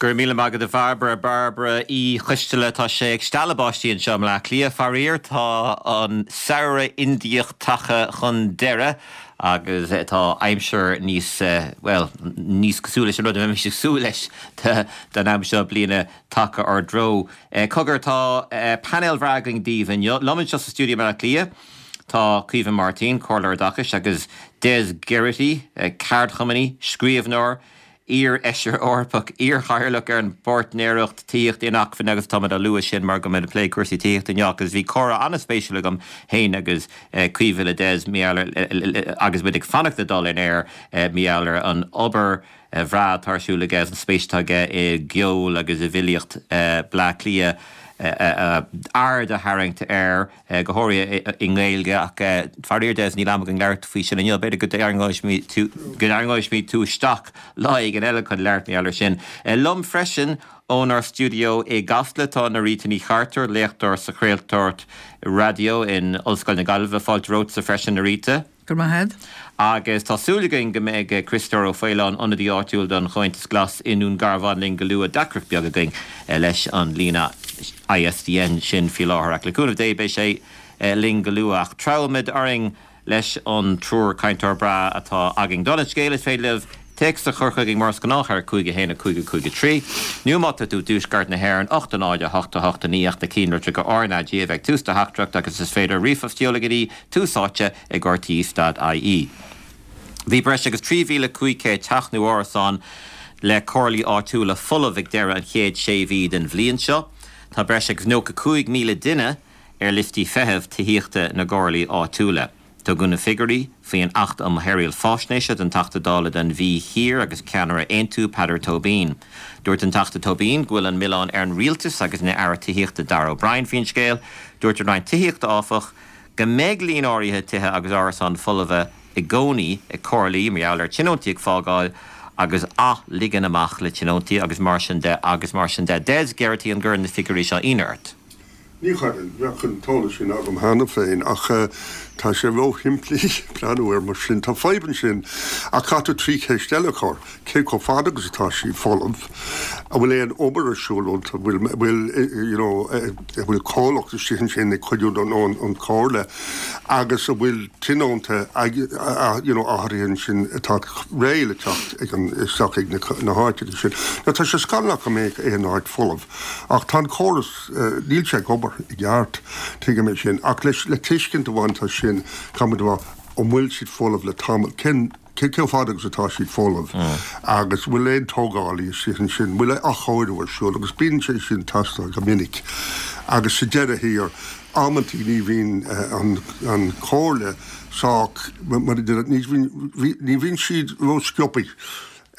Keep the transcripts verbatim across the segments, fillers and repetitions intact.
Gur míle maith agat a Bhairbre Bairbre Uí Choisteala tá sé ag stealladh báistí anseo i mBleá Cliath faraor tá an samhradh Indiach tagtha chun deireadh agus tá aimsir níos well níos cosúil leis an rud a bheimis ag súil leis don am seo bliana tagtha ár dtreo. Cogar tá painéal breá againn daoibh inniu liom anseo sa stiúideo i mBleá Cliath. Tá Caoimhe Martin, Comhairleoir Oideachais agus Des Geraghty, ceardchumannaí, scríbhneoir, iar-fheisire Eorpach iar-chathaoirleach ar an bpáirtnéireacht tithíochta inacmhainne agus tá á lua sin mar go mbeidh plé cúrsaí tithíochta inniu agus bhí comhrá an-spéisiúil agam féin agus Caoimhe le Des agus muid ag fanacht le dul in air mar gheall ar an obair bhreá atá ar siúl aige an spéis atá aige i gceol agus i bhfilíocht Bleá Cliath aird a tharraingt air go háirithe i nGaeilge ach faraor Des níl am againn labhairt faoi sin inniu b'fhéidir go dtarraingeoidh tú isteach lá éigin eile chun labhairt mar gheall sin. Liom freisin ónár stiúideo i gCasla tá Norita Ní Chartúir léachtóir sa chraoltóireacht raidió in Ollscoil na Gaillimhe fáilte romhatsa freisin Norita. Gur maith Agus tá súil againn go mbeidh Criostóir Ó Faoláin ionadaí áitiúil don Chomhaontas Glas i nDún Garbhán linn go luath deacracht beag againn leis an líne ISDN sin faoi láthair ach le cúnamh Dé beidh sé linn go luath ach treabhfaimid orainn leis an triúr cainteoir breá atá againn. Don scéal is féidir libh téacs a chur chugainn mar is gnách ar cúig a haon a cúig a cúig a trí. Nó má tá tú i dtuaisceart na hÉireann ocht a náid a hocht a hocht a naoi ach na cinnlitreacha RnaG a bheith tús do theachtaireacht agus is féidir ríomhphost a sheoladh go dtí Tús Áite ag RTÉ dot IE. Bhí breis agus trí mhíle cúig chéad teach nó árasán le comhairlí áitiúla folamh ag deireadh an chéad sé mhí den bhliain seo. Tá breis agus nócha cúig míle duine ar liostaí feithimh tithíochta na gcomhairlí áitiúla. Tugadh na figiúirí faoin Acht um Shaoráil Faisnéise don Teachta Dála don Mhí Thiar agus ceannaire Aontú Peadar Tóibín. Dúirt an Teachta Tóibín go bhfuil an milleán ar an rialtas agus an Aire Tithíochta Darragh O'Brien faoin scéal. Dúirt an Roinn Tithíochta áfach go mbeidh líon áirithe tithe agus árasán folmha i gcónaí ag comhairlí mar gheall ar tionóntaí ag fágáil agus athligean amach le tionóntaí agus mar sin de agus mar sin de. Des Geraghty an gcuireann na figiúirí seo ionadh ort. Ní chuireann bheadh an t-eolas sin agam cheana féin ach tá sé ró-shimplí breathnú air mar sin. Tá fadhb ansin ach caithfidh tú trí cheist eile a chur. Cé chomh fada agus atá sí folamh? An bhfuil aon obair ar siúl iontu? Bhfuil bhfuil you know bhfuil comhlacht istigh ansin ag cuidiú don an chomhairle agus an bhfuil tionónta you know áirithe ansin atá réidh le teacht ag an isteach ag na na háiteanna sin. Now tá sé scannalach go mbeadh aon áit folamh ach tá an córas níl sé ag obair i gceart tuigim é sin ach leis le tuiscint a bhaint as sin caithfimid a rá an bhfuil siad folamh le tamall cén cé chomh fada agus atá siad folamh agus bhfuil aon tógálaí istigh ansin bhfuil athchóiriú ar siúl agus bíonn sé sin teastáil go minic agus sa deireadh thiar amantaí ní bhíonn an an chomhairle sách mar a deir ní bhíonn ní bhíonn siad ró-sciobtha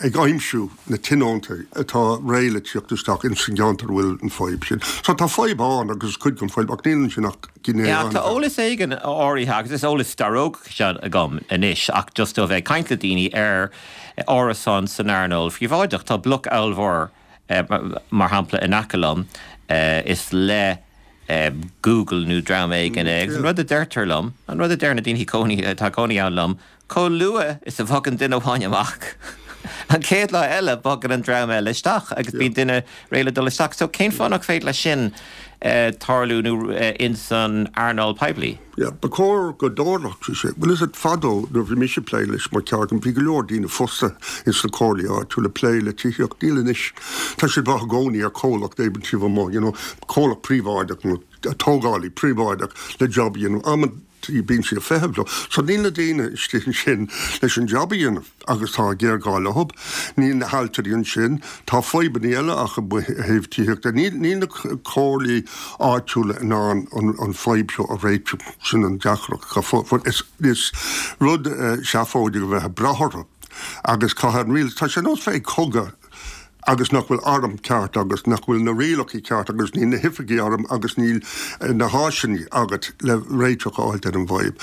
ag aimsiú na tionóntaí atá réidh le tíocht isteach in san gceantar bhfuil an fadhb sin. So tá fadhb ann agus cuid den fadhb ach níl ansin ach gné Yeah, tá eolas éigin áirithe agus is eolas staróg seo agam anois ach just ó bheith ag caint le daoine ar árasán san earnáil phríobháideach tá bloc ollmhór mar shampla in aice liom is le Google nó dream éigin é agus an rud a deirtear liom an rud a deir na daoine cónaí atá cónaí ann liom chomh luath is a bhogann duine amháin amach an chéad lá eile bogann an dream eile isteach agus bíonn duine réidh le dul isteach. So cén fáth nach féidir leis sin tarlú nó in san earnáil poiblí? Yeah, ba chóir go dtarlódh sé. Well is it fadó nuair bhí mise plé leis mar ceardchumann bhí go leor daoine fostaithe ins na comhairlí áitiúla ag plé le tithíocht. Níl anois. Tá siad ag brath i gcónaí ar chomhlacht éigin taobh amuigh, you know, comhlacht príobháideach nó tógálaí príobháideach le job a dhéanamh. Amantaí bíonn siad ag feitheamh leo. So níl na daoine istigh ansin leis an job a dhéanamh agus tá géarghá leo. Níl na hailtirí ansin. Tá fadhbanna eile acu ó thaobh tithíochta. Níl níl na comhairlí áitiúla in ann an an fadhb seo a réiteach. Sin an deacracht. Is is rud seafóideach a bheith ag brath orthu agus caithfidh an rialtas tá sé nós bheith ag cogadh agus nach bhfuil arm ceart agus nach bhfuil na rialacha ceart agus níl na hoifigigh airm agus níl na háiseanna agat le réiteach a fháilt ar an bhfadhb.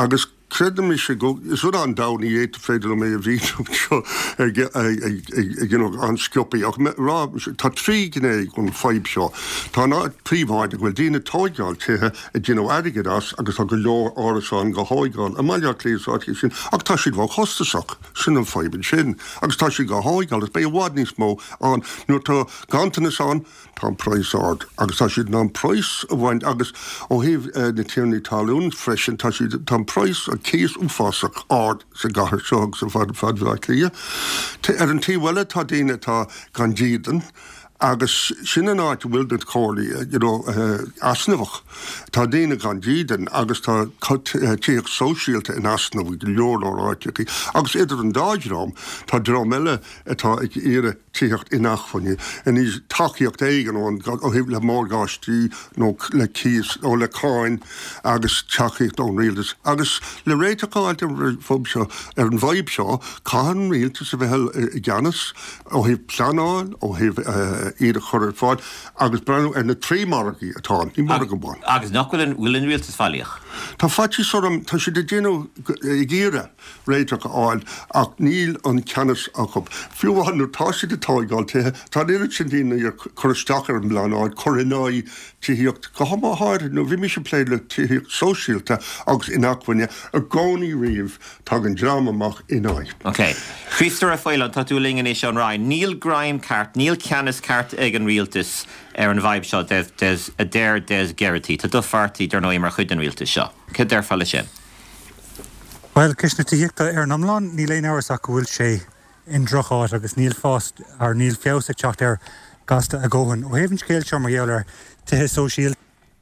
Agus Creidim mise go, is rud an-domhain é, ní féidir liom é a mhíniú anseo ag ag you know an-sciobtha ach rá tá trí ghné an fadhb seo. Tá an áit príobháideach go bhfuil daoine ag tóigeáil tithe ag déanamh airgid as agus tá go leor árasán go thóigeáil i mBaile Átha Cliath is áiteacha sin ach tá siad ró-chostasach, sin an fadhb ansin agus tá siad go thóigeáil agus beidh i bhfad níos mó ann nuair tá ganntanas ann tá an praghas ard agus tá siad in ann praghas a bhaint agus ó thaobh na tiarnaí talún freisin tá siad tá an praghas an cíos uafásach ard sa gcathair seo agus ar fad fad Bhaile Átha Cliath. Ar an taobh eile tá daoine atá gan dídean agus sin an áit a bhfuil na comhairlí you know easnamhach. Tá daoine gan dídean agus tá tithíocht sóisialta in easnamh i go leor leor áiteacha agus idir an dá dhream tá dream eile atá ag iarraidh tithíocht inacmhainne, anois tacaíocht éigin ó thaobh le morgáistí nó le cíos nó le cáin agus tacaíocht ón rialtas. Agus le réiteach a fháilt ar an bhfadhb seo, ar an bhfadhb seo, caithfidh an rialtas a bheith i gceannas ó thaobh pleanáil, ó thaobh iad a chur ar fáil agus breathnú ar na trí margaí atá ann, ní margadh amháin. Agus nach bhfuil an bhfuil an rialtas faillíoch? Tá faitíos orm, tá siad ag déanamh ag iarraidh réiteach a fháil ach níl an ceannas acu. Fiú amháin nuair atá siad ag tóigeáil tithe, tá an oiread sin daoine ag cur isteach ar an bpleanáil, cur in aghaidh tithíocht, go háirithe nuair bhí mise ag plé le tithíocht sóisialta agus inacmhainne i gcónaí riamh, tagann dream amach in aghaidh. Ok. Críostóir Ó Faoláin, tá tú linn anois ón Rinn. Níl greim ceart, níl ceannas ceart ag an rialtas ar an bhfadhb seo, a deir Des Geraghty. Tá do pháirtí, dar ndóigh, mar chuid den rialtas seo. Cad déarfá leis sin? Bhuel, ceist na tithíochta ar an iomlán, níl aon amhras ach go bhfuil sé i ndrocháit agus níl fás or níl feabhas ag teacht air gasta a dhóthain. Ó thaobh an scéil seo mar gheall ar tithe sóisialta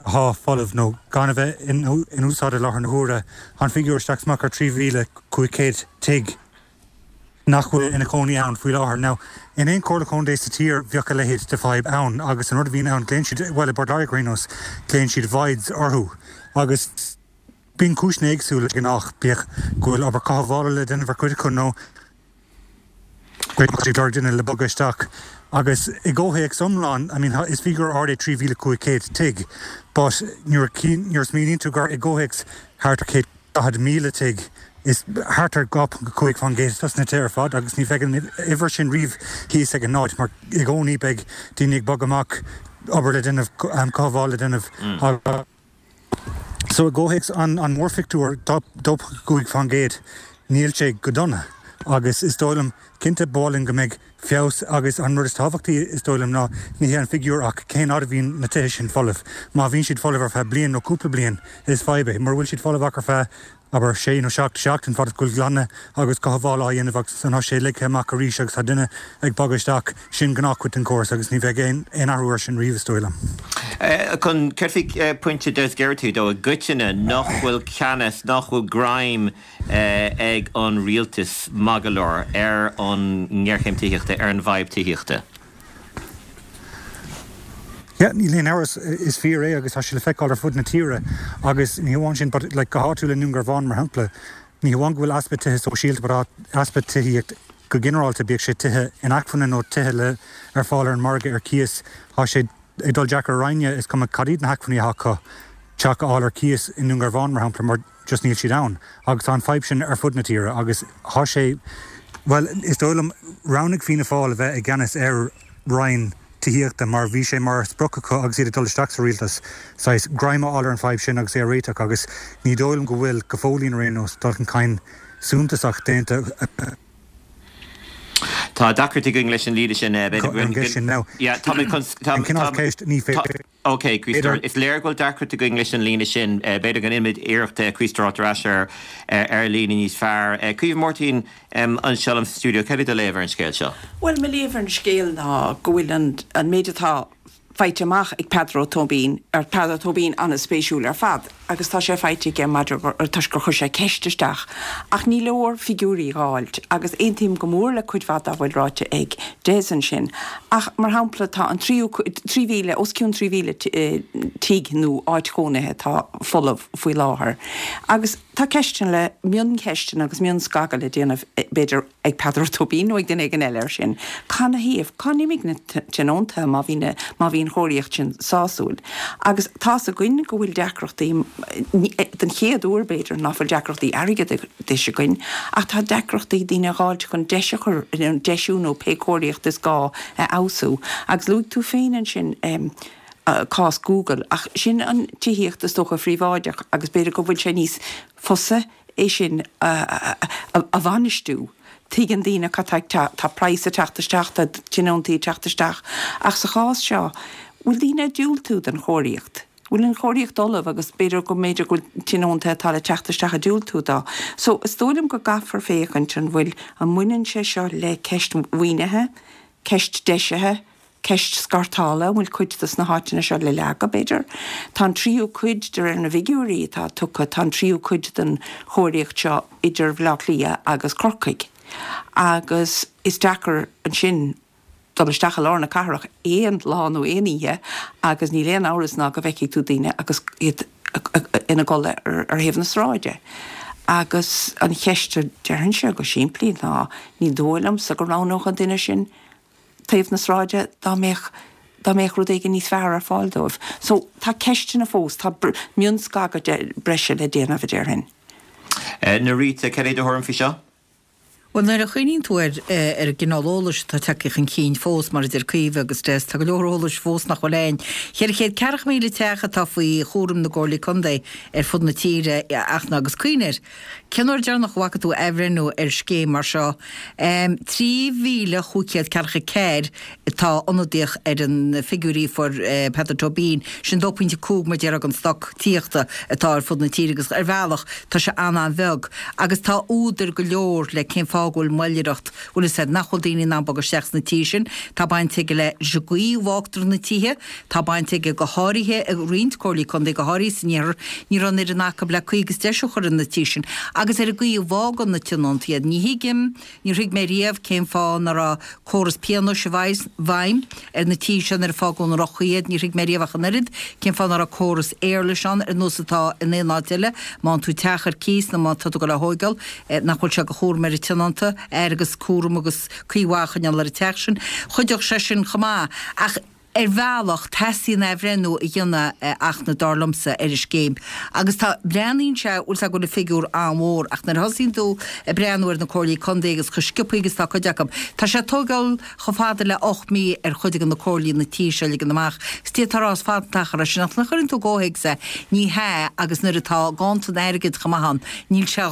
atá folamh nó gan a bheith in úsáid i láthair na huaire, tá an figiúr isteach is amach ar trí mhíle cúig chéad tigh nach bhfuil ina cónaí ann faoi láthair. Now, in aon chomhairle contae sa tír bheadh a leithéid de fadhb ann agus an rud a bhíonn ann, glaonn siad, bhuel i bPort Láirge ar aon nós, glaonn siad voids orthu agus, Bíonn cúiseanna éagsúla de ghnáth, bíodh go bhfuil obair cothabhála le déanamh ar chuid acu nó go bhfuil siad ag lorg duine le bogadh isteach. Agus i gcomhthéacs iomlán, I mean, is figiúr ard é trí mhíle cúig chéad tigh, but nuair a smaoiníonn tú gur i gcomhthéacs thart ar céad daichead míle tigh, is thart ar dhá ponc cúig faoin gcéad dos na tithe ar fad agus ní bheidh an uimhir sin riamh thíos ag an náid mar i gcónaí beidh daoine ag bogadh amach, obair le déanamh, cothabháil le déanamh agus. So i gcomhthéacs an mhórphictiúir, dó ponc cúig faoin gcéad, níl sé go dona agus is dóigh liom, cinnte, ba mhaith linn go mbeidh feabhas agus an rud is tábhachtaí is dóigh liom ná ní hé an figiúr ach cén fhad a bhíonn na tithe sin folamh. Má bhíonn siad folamh ar feadh bliain nó cúpla bliain, is fadhb é. Mura bhfuil siad folamh ach ar feadh abair, sé nó seacht seachtain, fad is go bhfuil glanadh agus cothabháil á dhéanamh agus ansan tá sé ligthe amach arís agus tá duine ag bogadh isteach, sin gnáthchuid den chóras agus ní bheidh aon athrú air sin riamh, is dóigh liom. Chun céard faoi pointe Des Geraghty dó i gcoitinne nach bhfuil ceannas, nach bhfuil greim ag an rialtas maith go leor ar an ngéarchéim tithíochta, ar an bhfadhb tithíochta? Yeah, níl aon amhras, is fíor é agus tá sé le feiceáil ar fud na tíre agus ní hamháin sin but like go háitiúil i nDún Garbhán mar shampla, ní hamháin go bhfuil easpa tithe sóisialta but tá easpa tithíocht go ginearálta, bíodh sé tithe inacmhainne nó tithe le ar fáil ar an margadh ar cíos, tá sé ag dul deacair ar éinne, is cuma cad iad na hacmhainní atá acu, teach a fháil ar cíos i nDún Garbhán mar shampla mar just níl siad ann agus tá an fadhb sin ar fud na tíre agus tá sé, bhuel is dóigh liom, roghnaigh Fianna Fáil a bheith i gceannas ar Roinn Tithíochta mar bhí sé mar sprioc acu agus iad ag dul isteach sa rialtas, saghas greim a fháil ar an fadhb sin agus é a réiteach agus ní dóigh liom go bhfuil, go fóillín ar aon nós, dul chun cinn suntasach déanta Tá deacracht againn leis an líne sin, b'fhéidir go ar an gceist sin. Now, Yeah, táimid chun, tá, an cineál tá, ceist ní tá, féidir. Ok, Críostóir, is léir go bhfuil deacracht againn leis an líne sin. B'fhéidir go ndéanfaimid iarracht Críostóir a fháilt ar ais ar ar líne níos fearr. Caoimhe Máirtín anseo liom sa stiúideo, céard é do léamh ar an scéal seo? Bhuel, mo léamh ar an scéal ná go bhfuil an an méid atá faighte amach ag Peadar Ó Tóibín, ar Peadar Ó Tóibín an-spéisiúil ar fad agus tá sé faighte aige maidir toisc gur chuir sé ceist isteach. Ach ní leor figiúirí a dh'fháilt agus aontaím go mór le cuid mhaith dá bhfuil ráite ag Des ansin. Ach, mar shampla, tá an tríú trí mhíle, os cionn trí mhíle tigh nó áit chónaithe atá folamh faoi láthair. Agus tá ceisteanna le, mioncheisteanna agus mionscagadh le déanamh b'fhéidir ag Peadar Ó Tóibín nó ag duine éigin eile air sin. Canathaobh? Cá n-imigh na tionóntaithe má bhí na, má bhí an chóiríocht sin sásúil? Agus tá's againn go bhfuil deacrachtaí, den chéad uair b'fhéidir, ná fuil deacrachtaí airgeadais againn, ach tá deacrachtaí daoine a dh'fháilt chun deis a chur, deisiú nó pé cóiríocht is gá a fheabhsú. Agus luaigh tú féin ansin, cás Google, ach sin an tithíocht is dócha phríobháideach agus b'fhéidir go bhfuil sé níos fusa é sin a bhainistiú. Tuigeann daoine cad tá ag teacht, tá praghas ag teacht isteach, tá tionóntaí ag teacht isteach, ach sa chás seo, bhfuil daoine ag diúltú don chóiríocht? Bhfuil an chóiríocht ullamh agus b'fhéidir go mb'fhéidir go bhfuil tionóntaithe atá le teacht isteach ag diúltú dó. So is dóigh liom go gcaithfear féachaint an bhfuil, an mbaineann sé seo le ceist mhaoinithe, ceist deisithe, ceist scartála, an bhfuil cuid dos na háiteanna seo le leagadh, b'fhéidir? Tá an tríú cuid, de réir na bhfigiúirí atá tugtha, tá an tríú cuid den chóiríocht seo idir Bhaile Átha Cliath agus Corcaigh agus is deacair ansin dul isteach i lár na cathrach aon lá nó aon oíche agus níl aon amhras ná go bhfeicfidh tú daoine agus iad ina gcodladh ar thaobh na sráide. Agus an cheist a déarfainnse go simplí ná ní dóigh liomsa go roghnódh an duine sin taobh na sráide dá mbeadh dá mbeadh rud éigin níos fearr ar fáil dóibh. So tá ceisteanna fós, tá mionscagadh breise le déanamh a déarfainn. Norita, cad é do thuairim faoi seo? Bhuel, nuair a chuimhníonn tú ar ar an gcineál eolais atá tagtha chun cinn fós, mar a deir Caoimhe agus Des, tá go leor eolais fós nach bhfuil a'inn. Cheithre chéad ceathracha míle teach atá faoi chúram na gcomhairlí contae ar fud na tíre, Fhachtna, agus cuimhnigh air, Cén uair deireanach a bhfaca tú athbhreithniú ar scéim mar seo? Trí mhíle chúig chéad ceathracha ceathair atá ionadaíoch ar na figiúirí a fuair Peadar Tóibín, sin dó pointe cúig mar déarfá den stoc tithíochta atá ar fud na tíre agus ar bhealach tá sé an-an-bheag agus tá údair go leor le cén fáth go bhfuil moilleoireacht, bhfuil fhios a'd, nach bhfuil daoine in ann bogadh isteach sna tithe sin. Tá baint aige leis an gcaoi a bhfágtar na tithe, tá baint aige go háirithe i roinnt comhairlí contae, go háirithe san iarthar, ní raibh an fhoireann acu le caoi agus deisiú a chur ar na tithe sin agus ar an gcaoi a bhfágann na tionóntaí iad. Ní thuigim, níor thuig mé riamh cén fáth nach raibh córas pionóis i bhfeidhm ar na tithe seo nuair a fágadh i ndroch-chaoi iad, níor thuig mé riamh ach an oiread cén fáth nach raibh córas éarlais ann ar nós atá in aon áit eile, má fhaigheann tú teach ar cíos nó má tá tú ag dul á thóigeáil, nach bhfuil sé de chúram ar an tionónta aire agus cúram agus caoi mhaith a choinneáil ar an teach sin. Chuideodh sé sin chomh maith. Ach. Ar bhealach, teastaíonn athbhreithniú a dhéanamh, a Fhachtna, dar liomsa, ar an scéim. Agus tá, breathnaíonn sé, bhfuil 's a'd go bhfuil an figiúr an-mhór, ach nuair a thosaíonn tú ag breathnú ar na comhairlí contae agus chomh sciobthaí agus atá cuid acu, tá sé ag tógáil chomh fada le ocht mí ar chuid de na comhairlí na tithe seo a ligean amach. Is d'fhéadfá a rá is fada an t-achar é sin, ach nuair a chuireann tú i gcomhthéacs é, ní hea, agus nuair atá ganntan airgid chomh maith ann, níl sé,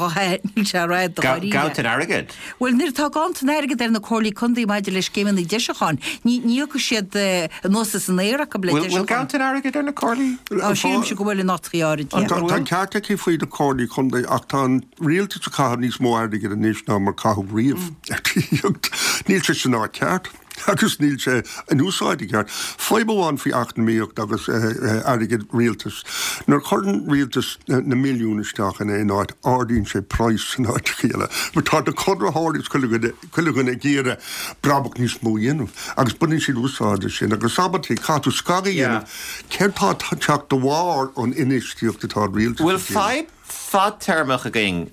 níl sé ró-fhada dáiríre. Ganntan airgid? Bhuel, nuair atá ganntan airgid ar na comhairlí contae maidir le scéimeanna deisiúcháin, ní thiocfaidh siad anuas as an aer acu le Bhfuil deisiúchán. ganntan airgid ar na comhairlí? Á, sílimse go bhfuil in áiteachaí áirid, yeah. Tá an ceart aici faoi na comhairlí contae ach tá an rialtas ag caitheamh níos mó airgid anois ná mar caitheadh riamh ar tithíocht. Níl sé san áit cheart. agus níl sé in úsáid i gceart. Fadhb amháin faoi eacnamaíocht agus airgead rialtais, nuair a chuireann rialtas na milliúin isteach in aon áit, ardaíonn sé praghas san áiteacha eile. Mar tá na conraitheoirí is chuile dhuine, chuile dhuine ag iarraidh brabach níos mó a dhéanamh agus baineann siad úsáid as sin agus amantaí caithfidh tú scagadh a dhéanamh céard tá ag teacht de bharr an infheistíocht atá an rialtas Bhfuil ag déanamh. fadhb fadtéarmach againn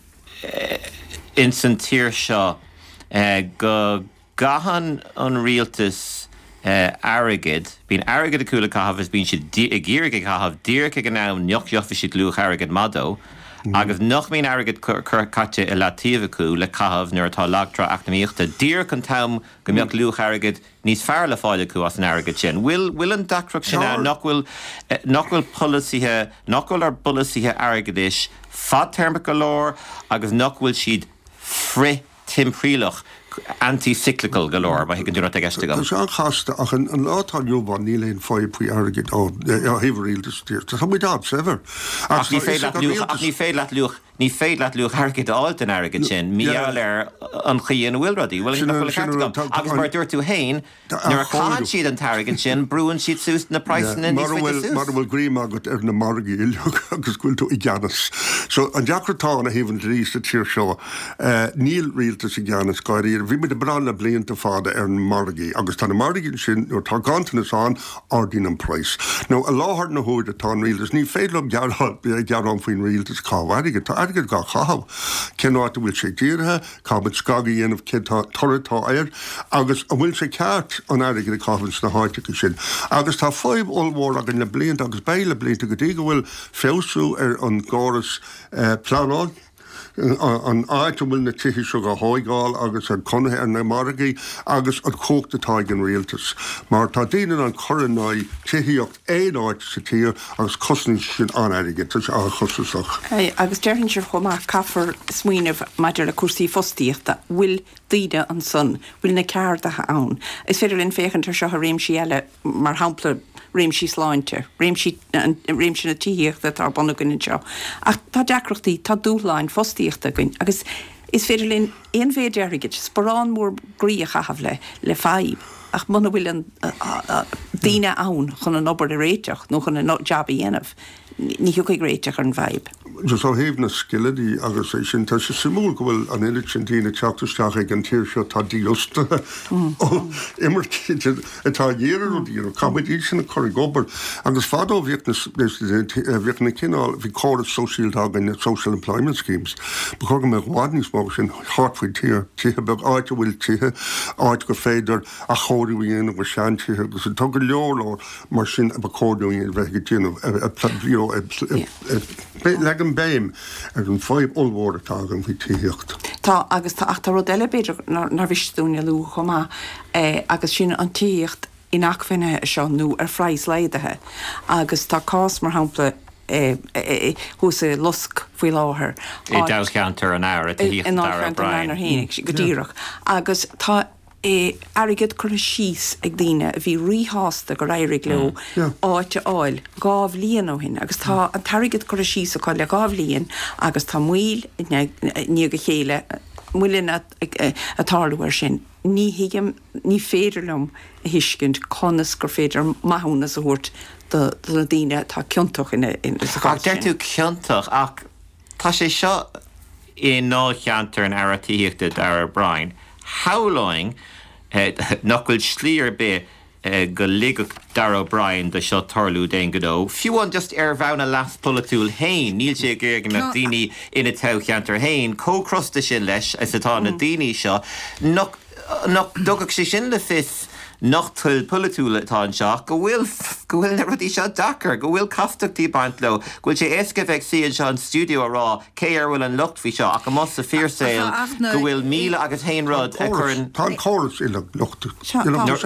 ins an tír seo go gcaitheann an rialtas airgead, bíonn airgead acu le caitheamh is bíonn siad ag iarraidh é a chaitheamh díreach ag an am nach gheobhaidh siad luach airgid maith dó agus nach mbíonn airgead caite i leataobh acu le caitheamh nuair atá lagtrá eacnamaíochta, díreach an t-am go mbeadh luach airgid níos fearr le fáil acu as an airgead sin. Bhfuil bhfuil an deacracht sin ann nach bhfuil nach bhfuil polasaithe, nach bhfuil ár bpolasaithe airgeadais fadtéarmach go leor agus nach bhfuil siad frith timthriallach, anti-cyclical, go leor, má thuigeann tú cad atá i gceist Tá agam. sé an-chasta ach an lá atá inniu ann níl aon fadhb faoi airgead ó thaobh an rialtais de. Tá muid an-saibhir. Ach Ach ní tá féidir fhios leat ag an luach, ach rialtas. ní féidir leat luach, ní féidir leat luach airgid a fháil den airgead sin, mar Yeah. gheall ar an chaoi ina bhfuil rudaí. Bhuel, Sin nach an, bhfuil an sin ceart an rud. agam? Tá, tá Agus mar an, a dúirt tú féin, tá nuair a chaitheann athchóiriú. siad an t-airgead sin, brúann siad suas na Yeah. praghsanna níos Mura faide bhfuil, suas. mura bhfuil greim agat ar na margaí uilig agus go bhfuil tú i gceannas. So an deacracht atá ann ó thaobh an dlí sa tír seo, níl rialtas i gceannas dáiríre. Bhí muid ag brath le blianta fada ar na margaí agus tá na margaí ansin nuair tá ganntanas ann, ardaíonn an praghas. Now i láthair na huaire tá an rialtas, ní féidir liom gearán, gearán faoin rialtas ag caitheamh airgid, tá airgead dhá chaitheamh, cén áit a bhfuil sé dírithe, caithfimid scagadh a dhéanamh cén toradh atá air agus an bhfuil sé ceart an airgead a chaitheamh sna háiteacha sin. Agus tá fadhb ollmhór againn le blianta agus beidh le blianta go dtí go bhfuil feabhsú ar an gcóras pleanáil, an áit a bhfuil na tithe seo á thóigeáil agus an conaithi ar na margaí agus an chumhacht atá ag an rialtas. Mar tá daoine in ann cur in aghaidh tithíocht aon áit sa tír agus cosnaíonn sin an-airgead, tá sé an-chostasach. Agus déarfainnse chomh maith, caithfear smaoineamh maidir le cúrsaí fostaíochta, bhfuil daoine ansan, bhfuil na ceardaithe ann? Is féidir linn féachaint ar seo i réimsí eile, mar shampla réimsí sláinte, réimsí, réimse na tithíochta atá ar bun againn anseo. Ach tá deacrachtaí, tá dúshláin fostaíochta againn agus is féidir linn aon mhéid airgid, sparán mór groí a chaitheamh le, le fadhb ach muna bhfuil an, daoine ann chun an obair a réiteach nó chun an jab a dhéanamh, ní thiocfaidh réiteach ar an bhfadhb. Just ó thaobh na scileanna agus é sin, tá sé suimiúil go bhfuil an oiread sin daoine ag teacht isteach ag an tír seo atá dífhostaithe ó imircigh atá ag iarraidh rudaí, you know, caithfimid iad sin a chur ag obair. Agus fadó bhíodh na, bhíodh na cineál, bhí córas sóisialta againn, social employment schemes. Ba chóir go mbeadh i bhfad níos mó sin thart faoin tír, tithe beag, áit a bhfuil tithe, áit gur féidir athchóiriú a dhéanamh ar seantithe agus tá go leor leor mar sin a ba chóir dúinn a bheith ag déanamh, you know, leagan béim ar an fadhb ollmhór atá againn faoi tithíocht. Tá, agus tá, ach tá rud eile b'fhéidir nár mhiste dúinn a lua chomh maith, agus sin an tithíocht inacmhainne seo nó ar phraghas laghdaithe. Agus tá cás, mar shampla, thuas i Lusc faoi láthair. I ndáilcheantar an Aire Tithíochta Darragh O'Brien. I ndáilcheantar an Aire féin, go díreach. Agus tá airgead curtha síos ag daoine a bhí ríshásta gur éirigh leo áit a fháil dhá bhliain ó shin agus tá an t-airgead curtha síos acu le dhá bhliain agus tá moill i ndiaidh a chéile, moilleanna ag tarlú air sin. Ní thuigim, ní féidir liom a thuiscint conas gur féidir maithiúnas a thabhairt do na daoine atá ciontach sa chás sin. Ach deir tú ciontach ach tá sé seo i ndáilcheantar an Aire Tithíochta Darragh O'Brien. Shamhlóinn nach bhfuil slí ar bith go ligfeadh Darragh O'Brien do seo tarlú d'aon ghnó, fiú amháin just ar bhonn a leas polaitiúil féin. Níl sé ag iarraidh go mbeadh daoine ina toghcheantar féin chomh crosta sin leis is atá na daoine seo. Nach nach dtugadh sé sin le fios nach toil pholaitiúil atá anseo ach go bhfuil go bhfuil na rudaí seo deacair, go bhfuil castachtaí ag baint leo, go bhfuil sé éasca bheith ag suí anseo in stiúideo a rá cé air a bhfuil an locht faoi seo ach amuigh sa fíorshaol go bhfuil míle agus haon rud a chuireann. Tá an córas uilig lochtach.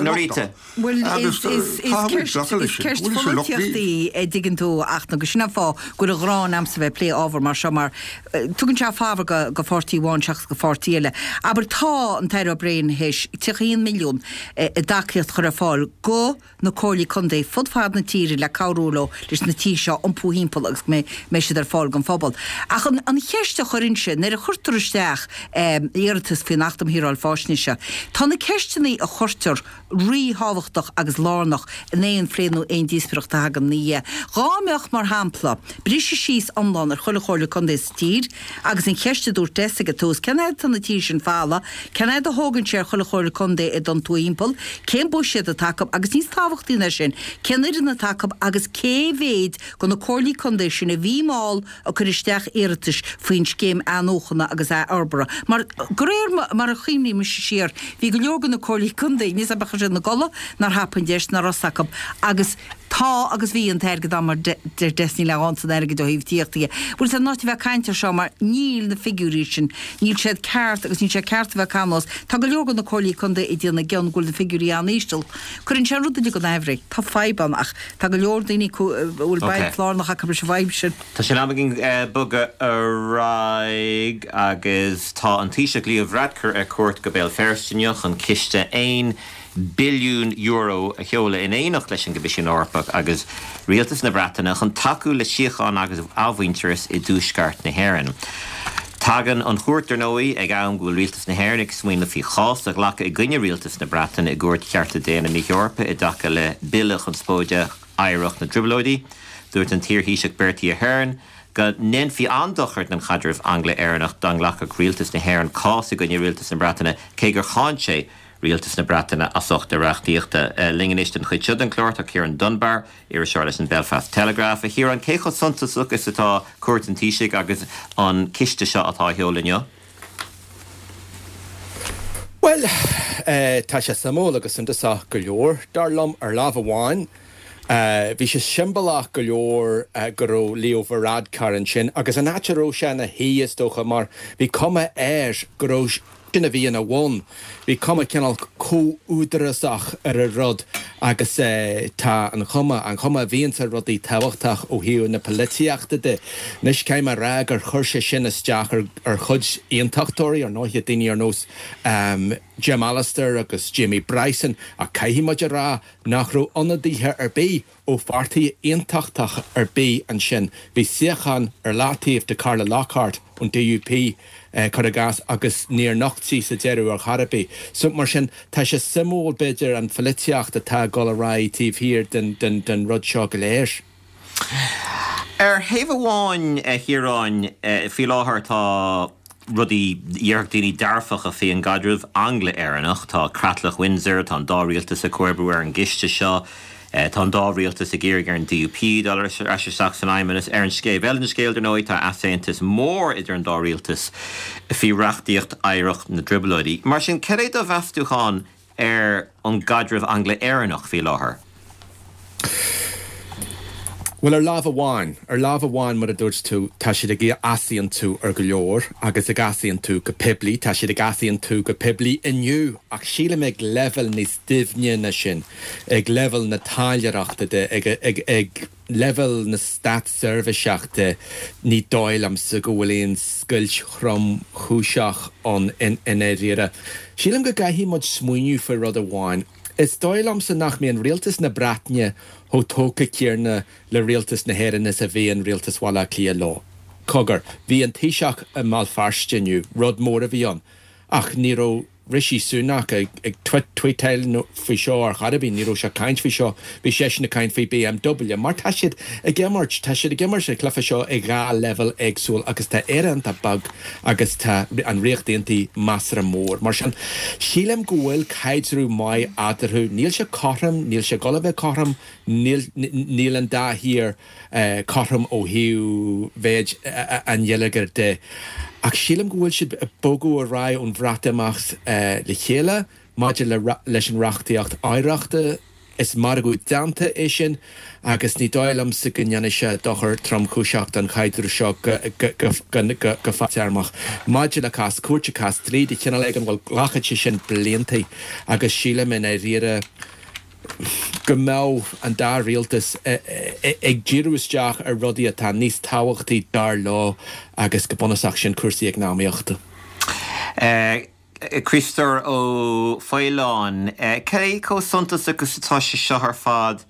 Norita. Bhuel, is is ceist pholaitíochta í, a dtuigeann tú, ach nó go sin an fáth go bhfuil an ghráin a'msa bheith ag plé ábhar mar seo mar tugann sé fabhar go go pháirtí amháin seachas go pháirtí eile. Abair tá an tAire O'Brien théis tríocha a haon milliún i dtacaíocht a chur ar fáil go na comhairlí contae fud fad na tíre le cabhrú leo leis na tithe seo a iompú thimpeall agus go mbeidh siad ar fáil don phobal. Ach an an cheist a chuirinnse, nuair a chuirtear isteach iarratas faoin Acht um Shaoráil Faisnéise, tá na ceisteanna a chuirtear ríthábhachtach agus lárnach in aon phlé nó aon díospóireacht a thagann ina dhiaidh. Dhá mbeadh, mar shampla, briseadh síos iomlán ar chuile chomhairle contae sa tír agus an cheist a dúirt Des ag an tús, cén fhad atá na tithe sin folamh, cén fhad a thógann sé ar chuile chomhairle contae iad a iompú thimpeall, cén buiséad atá acu agus níos tábhachtaí ná sin, cén fhoireann atá acu agus cé mhéid de na comhairlí contae sin a bhí mall ag cur isteach iarratais faoin scéim athnuachana agus athfhorbartha. Mar, de réir mar a chuimhním mise siar, bhí go leor de na comhairlí contae, níos ab ea siad ina gcodladh, nár thapaigh an deis, nach raibh fhios acu agus tá agus bhí an t-airgead ann mar deir Des níl aon san airgead ó thaobh tithíochta dhe. Bhuel is in áit a bheith ag caint ar seo mar níl na figiúirí sin, níl siad ceart agus níl sé ceart a bheith ag canbhás. Tá go leor de na comhairlí contae ag déanamh cion go bhfuil na figiúirí an-íseal. Cuireann sé an rud uilig chun aimhréidh. Tá fadhb ann ach tá go leor daoine acu a bhfuil baint lárnach acu leis an bhfadhb sin. Tá sé in am againn bogadh ar aghaidh agus tá an Taoiseach Leo Varadkar ar cuairt go Béal Feirste inniu chun ciste aon billiún euro a sheoladh in éineacht leis an gCoimisiún Eorpach agus Rialtas na Breataine chun tacú le síocháin agus athmhuintearas i dtuaisceart na hÉireann. Tagann an chuairt, dar ndóigh, ag am go bhfuil Rialtas na hÉireann ag smaoineamh faoi chás a ghlacadh i gcoinne Rialtas na Breataine i gCúirt Chearta Daonna na hEorpa i dtaca le Bille conspóideach Oidhreacht na dTrioblóidí. Dúirt an t-iarThaoiseach Bertie Ahern go ndéanfaí an-dochar don chaidreamh Angla-Éireannach dá nglacfadh Rialtas na hÉireann cás i gcoinne Rialtas na Breataine cé gur cháin sé Rialtas na Breataine as ucht a reachtaíochta. Linn anois don chuid seo den chlár tá Ciarán Dunbar, iriseoir leis an Belfast Telegraph. A Chiaráin, cé chomh suntasach is atá cuairt an Taoisigh agus an ciste seo atá á sheoladh inniu? Bhuel, tá sé suimiúil agus suntasach go leor, dar liom. Ar lámh amháin, bhí sé siombalach go leor go raibh Leo Varadkar ansin agus an áit a raibh sé ina shuí, is dócha, mar bhí cuma air go raibh sin a bhí ina bhun. Bhí cuma cineál comhúdarásach ar an rud agus tá an chuma, an chuma a bhíonns ar rudaí tábhachtach ó thaobh na polaitíochta de. Anois caithfidh mé a rá gur chuir sé sin isteach ar ar chuid aontachtóirí, ar ndóighe, daoine ar nós Jim Allister agus Jamie Bryson ach caithfidh muid a rá nach raibh ionadaithe ar bith ó pháirtí aontachtach ar bith ansin. Bhí suíochán ar leataobh do Carla Lockhart ón D U P, cuir i gcás, agus níor nocht sí sa deireadh ar chor ar bith. So, mar sin, tá sé suimiúil, b'fhéidir, an pholaitíocht atá ag dul ar aghaidh taobh thiar den, den, den rud seo go léir. Ar thaobh amháin, a Chiaráin, faoi láthair tá rudaí, déarfadh daoine, dearfacha faoi an gcaidreamh Angla-Éireannach. Tá Creatlach Windsor, tá an dá rialtas ag comhoibriú ar an gciste seo, tá an dá rialtas ag iarraidh ar an D U P dul ar ais isteach san Fheidhmeannas. Ar an taobh eile den scéal, dar ndóigh, tá easaontas mór idir an dá rialtas faoi reachtaíocht oidhreacht na dTrioblóidí. Mar sin, cad é do mheastúchán ar an gcaidreamh Angla-Éireannach faoi láthair? Bhuel, ar lámh amháin, ar lámh amháin, mar a dúirt tú, tá siad ag easaontú ar go leor agus ag easaontú go poiblí. Tá siad ag easaontú go poiblí inniu ach sílim ag leibhéal níos doimhne ná sin, ag leibhéal na taidhleoireachta de, ag, ag, ag leibhéal na státseirbhíseach de, ní dóigh liomsa go bhfuil aon scoilt thromchúiseach ann i ndáiríre. Sílim go gcaithfidh muid smaoineamh faoi rud amháin. Is dóigh liomsa nach mbíonn rialtas na Breataine chomh tógtha céanna le rialtas na hÉireann is a bhíonn rialtas Bhaile Átha Cliath leo. Cogar, bhí an Taoiseach i mBéal Feirste inniu, rud mór a bhí ann, ach ní raibh Rishi Sunak ag tweetáil faoi seo ar chor ar bith, ní raibh sé ag caint faoi seo, bhí seisean ag caint faoi B M W, mar tá siad ag imirt, tá siad ag imirt an cluiche seo ag dhá leibhéal éagsúil agus tá Éire iontach beag agus tá an Ríocht Aontaithe measartha mór. Mar sin, sílim go bhfuil caidreamh maith eatarthu. Níl sé cothrom, níl sé ag dul a bheith cothrom, níl níl an dá thír cothrom ó thaobh mhéid an gheilleagair de. Ach sílim go bhfuil siad ag bogadh ar aghaidh ón Bhreatimeacht le chéile maidir le leis an reachtaíocht oidhreachta. Is margadh déanta é sin agus ní dóigh liomsa go ndéanfaidh sé dochar tromchúiseach don chaidreamh seo go fadtéarmach. Maidir le cás cúirte, cás dlí de chineál éigin, bhuel, glacfaidh sé sin blianta agus sílim i ndáiríre go mbeadh an dá rialtas ag díriú isteach ar rudaí atá níos tábhachtaí dar leo agus go bunúsach sin cúrsaí eacnamaíochta. Críostóir Ó Faoláin, cé chomh suntasach agus atá sé seo ar fad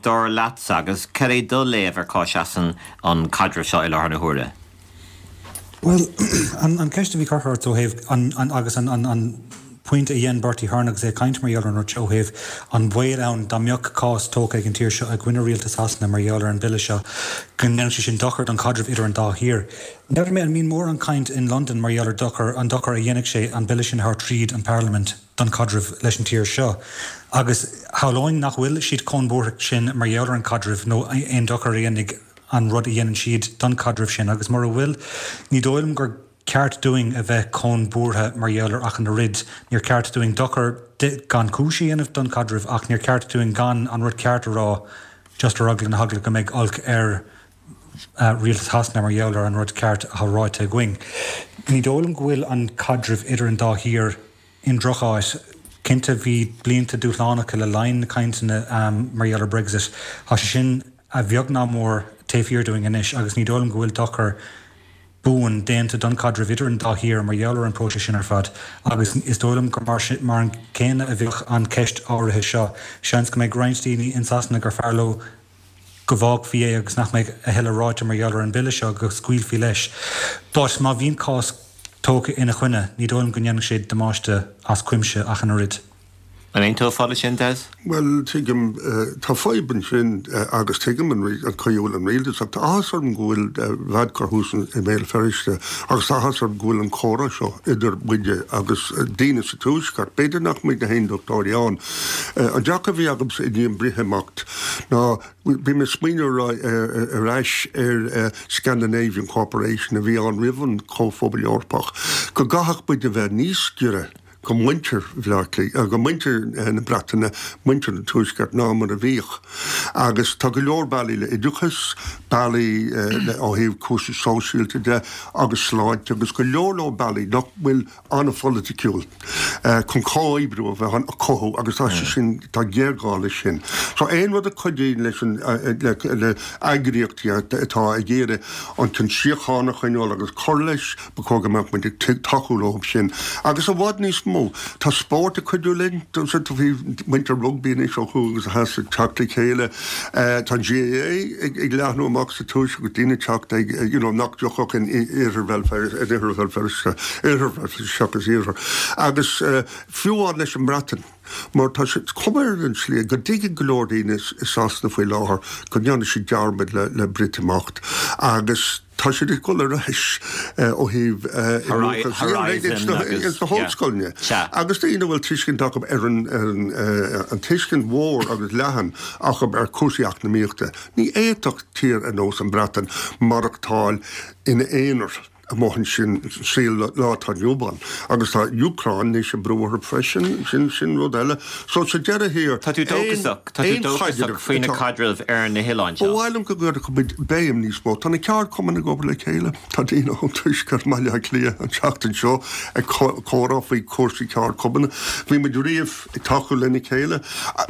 dar leatsa agus cad é do léamh ar cá seasann an caidreamh seo i láthair na huaire? Bhuel, an ceist a bhí curtha ort ó thaobh an agus an an pointe a dhein Bertie Ahern agus é ag caint mar gheall ar an rud seo ó thaobh an baol ann dá mbeadh cás tógtha ag an tír seo i gcoinne rialtas Shasana mar gheall ar an bille seo go ndéanfadh sé sin dochar don chaidreamh idir an dá thír. N'fheadar mé an mbíonn mórán caint in Londain mar gheall ar dochar an dochar a dhéanfadh sé an bille sin a thabhairt tríd an Parlaimint don chaidreamh leis an tír seo. Agus shamhlóinn nach bhfuil siad chomh buartha sin mar gheall ar an chaidreamh nó aon dochar a dhéanfaidh an rud a dhéanann siad don chaidreamh sin agus mura bhfuil, ní dóigh liom gur ceart dúinn a bheith chomh buartha mar gheall air ach an oiread. Níor ceart dúinn dochar gan chúis a dhéanamh don chaidreamh ach níor ceart dúinn gan an rud ceart a rá just ar eagla na heagla go mbeidh olc ar rialtas Shasana mar gheall ar an rud ceart atá ráite againn. Ní dóigh liom go bhfuil an caidreamh idir an dá thír i ndrocháit. Cinnte bhí blianta dúshlánacha le linn na cainteanna mar gheall ar Brexit. Tá sé sin a bheag nach mór taobh thiar dúinn anois agus ní dóigh liom go bhfuil dochar buan déanta don chaidreamh idir an dá thír mar gheall ar an próiseas sin ar fad agus is dóigh liom gur mar mar an céanna a bheadh an ceist áirithe seo. Seans go mbeidh roinnt daoine in Sasana gur fearr leo go bhfágfaí é agus nach mbeidh a thuilleadh ráite mar gheall ar an bille seo go scaoilfí leis. But má bhíonn cás tógtha ina choinne, ní dóigh liom go ndéanfaidh sé damáiste as cuimse ach an oiread. An aontófá leis sin, Des? Bhuel, tuigim, tá fadhb ansin agus tuigim an chaoi a bhfuil an rialtas ach tá áthas orm go bhfuil Varadkar thuas i mBéal Feirste agus tá áthas orm go bhfuil an comhrá seo idir muide agus daoine sa Tuaisceart. B'fhéidir nach mbeidh na hAondachtóirí ann. An dearcadh a bhí agamsa i ndiaidh an Breatimeacht ná bhí mé ag smaoineamh ar ais ar Scandinavian Cooperation a bhí ann roimh an Comhphobal Eorpach, go gcaithfeadh muid a bheith níos giorra go muintir Bhaile Átha Cliath, go muintir na Breataine, muintir an Tuaiscirt ná mar a bhíodh. Agus tá go leor bealaí le oideachas, bealaí le ó thaobh cúrsaí sóisialta de agus sláinte agus go leor leor bealaí nach bhfuil an-pholaiticiúil chun comhoibriú a bheith ann a chothú agus tá sé sin, tá géarghá leis sin. So aon rud a chuidíonn leis an, le, le eagraíochtaí atá ag iarraidh an an síocháin a choinneáil agus cur leis, Ba chóir go mbeadh muid ag tacú leo sin. Agus i bhfad níos mó, tá spórt ag cuidiú linn. Bhí muintir rugbaí anois ó thuaidh agus ó theas ag teacht le chéile. Tá an GAA ag leathnú amach sa tuaisceart agus daoine ag teacht ag, you know, nach dtiocfadh in iarthar Bhéal Feirste, in oirthear Bhéal Feirste, oirthear Bhéal Feirste seachas iarthar. Agus fiú amháin leis an mBreatain, mar tá sé, cuma ar an tslí go dtuigeann go leor daoine i Sasana faoi láthair go ndearna siad dearmad le le Breatimeacht agus tá siad ag dul ar ais ó thaobh Horizon agus na hollscoileanna agus daoine a bhfuil tuiscint acu ar an an tuiscint mhór agus leathan acu ar chúrsaí eacnamaíochta. Ní fhéadfadh tír ar nós an Bhreatain maireachtáil ina aonar. amuigh ansin sa lá atá inniu ann. Agus tá Úcráin anois ag brú orthu freisin, sin sin rud eile. So sa deireadh thiar, Tá tú dóchasach, tá tú dóchasach faoi na caidrimh ar na hoileáin seo. Ba mhaith liom go gcuirfeadh muid béim níos mó. Tá na ceardchumainn ag obair le chéile. Tá daoine ón Tuaisceart i mBaile Átha Cliath an tseachtain seo ag comhrá faoi chúrsaí ceardchumann. Bhí muid riamh ag tacú lena chéile.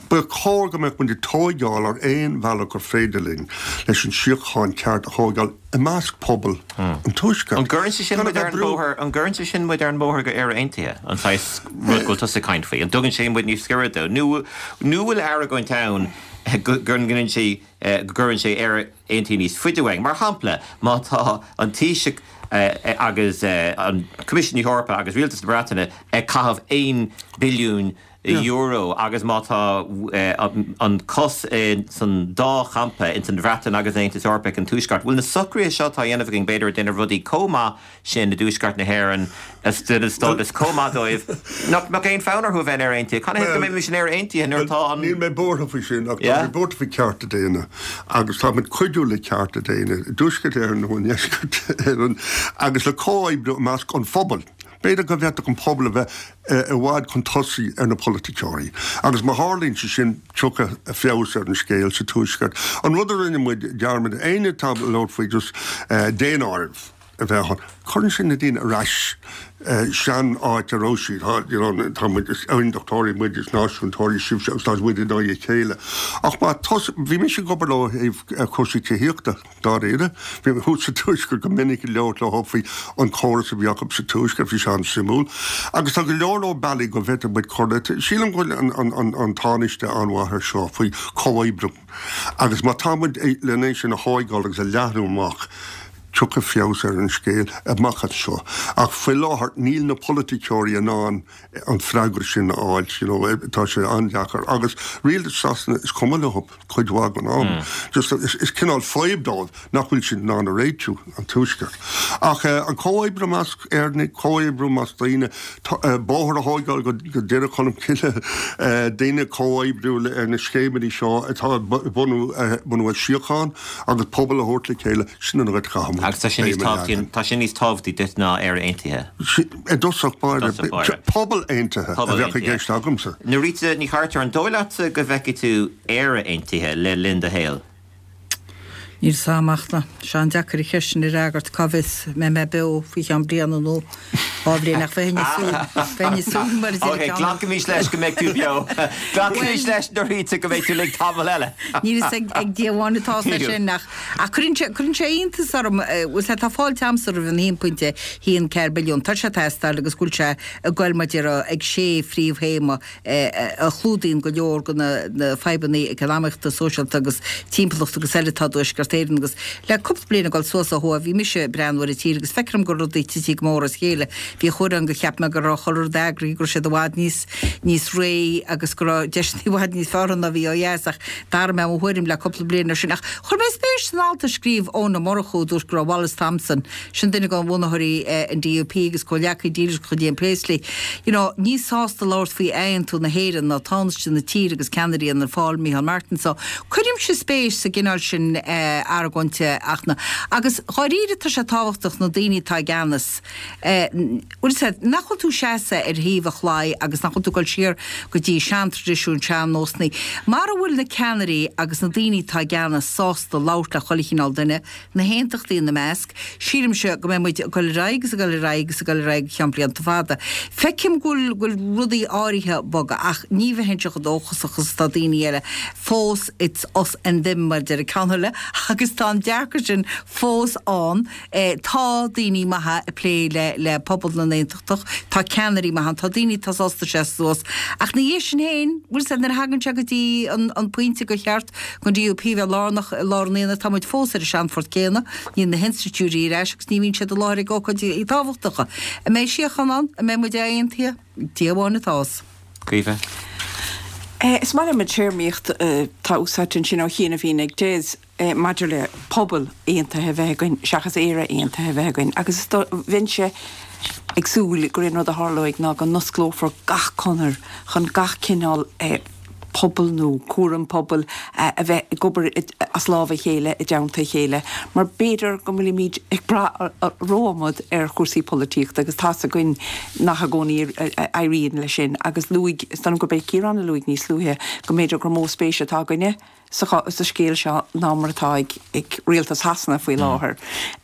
Ba chóir go mbeadh muid ag tóigeáil ar aon bhealach gur féidir linn leis an síocháin ceart a thóigeáil. i measc pobal an Tuaiscirt. An gcuireann sé sin muid ar an bóthar, an gcuireann sé sin muid ar an mbóthar go Éire Aontaithe, an saghas rud go bhfuil tusa ag caint faoi? An dtugann sé muid níos giorra dó? Nó nó bhfuil argóint ann go gcuireann sé go gcuireann sé Éire Aontaithe níos faide uainn? Mar shampla, má tá an Taoiseach agus an Coimisiún Eorpach agus Rialtas na Breataine ag caitheamh aon billiún euro agus má tá an cos san dá champa, ins an Bhreatain agus an Aontas Eorpach an Tuaisceart, bhfuil na socruithe seo atá á dhéanamh againn b'fhéidir ag déanamh rudaí chomh maith sin i dTuaisceart na hÉireann is déanamh stádas chomh maith dóibh nach mbeadh aon fonn orthu a bheith in Éire Aontaithe. Canathaobh go mbeimis in Éire Aontaithe nuair atá an. Níl mé buartha faoi sin ach tá mé buartha faoi cearta daonna agus tá muid cuidiú le cearta daonna i dTuaisceart Éireann nó i nDeisceart Éireann agus le comhoibriú i measc an phobail. B'fhéidir go bhféadfadh an pobal a bheith i bhfad chun tosaigh ar na polaiticeoirí agus má tharlaíonn sé sin tiocfaidh feabhas ar an scéal sa Tuaisceart. An rud a rinne muid dearmad, éinne atá ag labhairt faoi just daonáireamh a bheith ann, cuireann sé na daoine ar ais sean áit a raibh siad, you know, tá muid, is aondachtóirí muid, is náisiúntóirí sibhse agus tá muid in aghaidh a chéile. Ach má tos, bhí mise ag obair leo ó thaobh cúrsaí tithíochta. Dáiríre, bhí mé thuas sa Tuaisceart go minic ag labhairt leo faoi an córas a bhí acu sa Tuaisceart, bhí sé an-suimiúil. Agus tá go leor leor bealaí go bhféadfadh muid cur le. Sílim go bhfuil an Tánaiste an-mhaith ar seo faoi chomhoibriú agus má tá muid len é sin a thóigeáil agus a leathnú amach, tiocfaidh feabhas ar an scéal amach anseo. Ach faoi láthair níl na polaiticeoirí in ann an freagra sin a fháil, you know, tá sé an-deacair. Agus rialtas Sasana, is cuma leo. cuid mhaith den am. Just is cineál fadhb dóibh nach bhfuil siad in ann a réitiú, an Tuaisceart. Ach an comhoibriú i measc Éireannaigh, comhoibriú i measc daoine, bóthar a thóigeáil go Doire Cholm Cille, daoine comhoibriú ar na scéimeanna seo atá ag bunú bunú síocháin agus pobal a thabhairt le chéile, sin an áit a chaithfidh muid Agus tá sin níos béim a tábhachtaí, leagan. tá sin níos tábhachtaí duit ná Éire Aontaithe. I dtosach báire, I dtosach báire. pobal aontaithe a Pobal bheadh i aontaithe. gceist agamsa. Norita Ní Chartúir, an dóigh leatsa go bhfeicfidh tú Éire Aontaithe le linn do shaoil? Níl 'fhios a'm ach tá sé an-deacair an cheist sin a fhreagairt, cá bhfios an mbeidh mé beo faoi cheann bliana nó dhá bhliain ach bheinn ag súil, bheinn ag súil mar a deir Ok, ceann. glacaimis leis go mbeidh tú beo. Glacaimis leis, Norita, go mbeidh tú linn tamall eile. Níl 'fhios ag ag Dia amháin atá 'fhios leis sin ach ach cuireann sé cuireann sé iontas orm, bhfuil sé tá fáilte a'msa roimh an haon pointe haon ceathair billiún, tá sé ag teastáil agus go bhfuil sé ag goil mar a déarfá ag sé phríomhthéama a chlúdaíonn go leor de na fadhbanna eacnamaíochta, sóisialta agus timpeallachta agus eile atá i dTuaisceart Éireann agus le cúpla bliain ag dul suas ó thuaidh, bhí mise ag breathnú ar an tír agus feicim go rudaí tite go mór as a chéile. Bhí uair ann gur cheap mé go raibh chuile rud eagraithe, go raibh siad i bhfad níos níos réidh agus go raibh deiseanna i bhfad níos fearr ann ná bhí ó dheas ach d'athraigh mé mo thuairim le cúpla bliain ó sin. Ach chuir mé spéis san alt a scríobh Eoin Ó Murchú a dúirt go raibh Wallace Thompson, sin duine de bhunaitheoirí an DUP agus comhghleacaí dílis de chuid Ian Paisley, you know, níos sásta labhairt faoi aontú na hÉireann ná Tánaiste na tíre agus ceannaire Fhianna Fáil, Micheál Martin. So, cuirimse spéis sa gcineál sin argóinte ach na, agus dháiríre tá sé tábhachtach na daoine atá i gceannas, bhfuil a fhios agat, nach bhfuil tú seasamh ar thaobh an chlaí agus nach bhfuil tú ag dul siar go dtí seantraidisiúin, sean-nósanna. Mara bhfuil na ceannairí agus na daoine atá i gceannas sásta labhairt le chuile chineál duine, na haontachtaí ina measc, sílimse go mbeidh muid ag dul ar aghaidh agus ag dul ar aghaidh agus ag dul ar aghaidh go ceann blianta fada. Feicim go bhfuil go bhfuil rudaí áirithe ag bogadh ach ní bheinnse chomh dóchasach is atá daoine eile. Fós it's us and them mar a deir an ceann eile agus tá an dearcadh sin fós ann. Tá daoine maithe ag plé le le pobal na n-aontachtach, tá ceannairí maithe ann, tá daoine atá sásta seasamh suas ach ina dhiaidh sin féin, bhfuil a fhios agat, nuair a thagann sé go dtí an an pointe gur cheart don DUP bheith lárnach i lár an aonaigh, tá muid fós ar an seanphort céanna, níl na hinstitiúidí ar ais agus ní bhíonn siad i láthair ag ócáidí tábhachtacha. An mbeidh síocháin ann? An mbeidh muid aontaithe? Dia amháin atá a fhios. Caoimhe. Is maith liom an téarmaíocht atá úsáidte ansin ó chianaibh ag Des maidir le pobal aontaithe a bheith againn seachas Éire aontaithe a bheith againn agus bheinnse ag súil gur é an rud a tharlóidh ná go n-osclófar gach conair chun gach cineál pobal nó cúram pobail a bheith ag obair as lámh a chéile i dteannta a chéile mar b'fhéidir go bhfuilimid ag brath rómhór ar chúrsaí polaitíochta agus tá's againn nach i gcónaí a éiríonn leis sin agus luaigh, is dóigh liom gurb é Ciarán a luaigh níos luaithe go mb'fhéidir gur mó spéis atá againne sa sa scéal seo ná mar atá ag ag rialtas Shasana faoi láthair.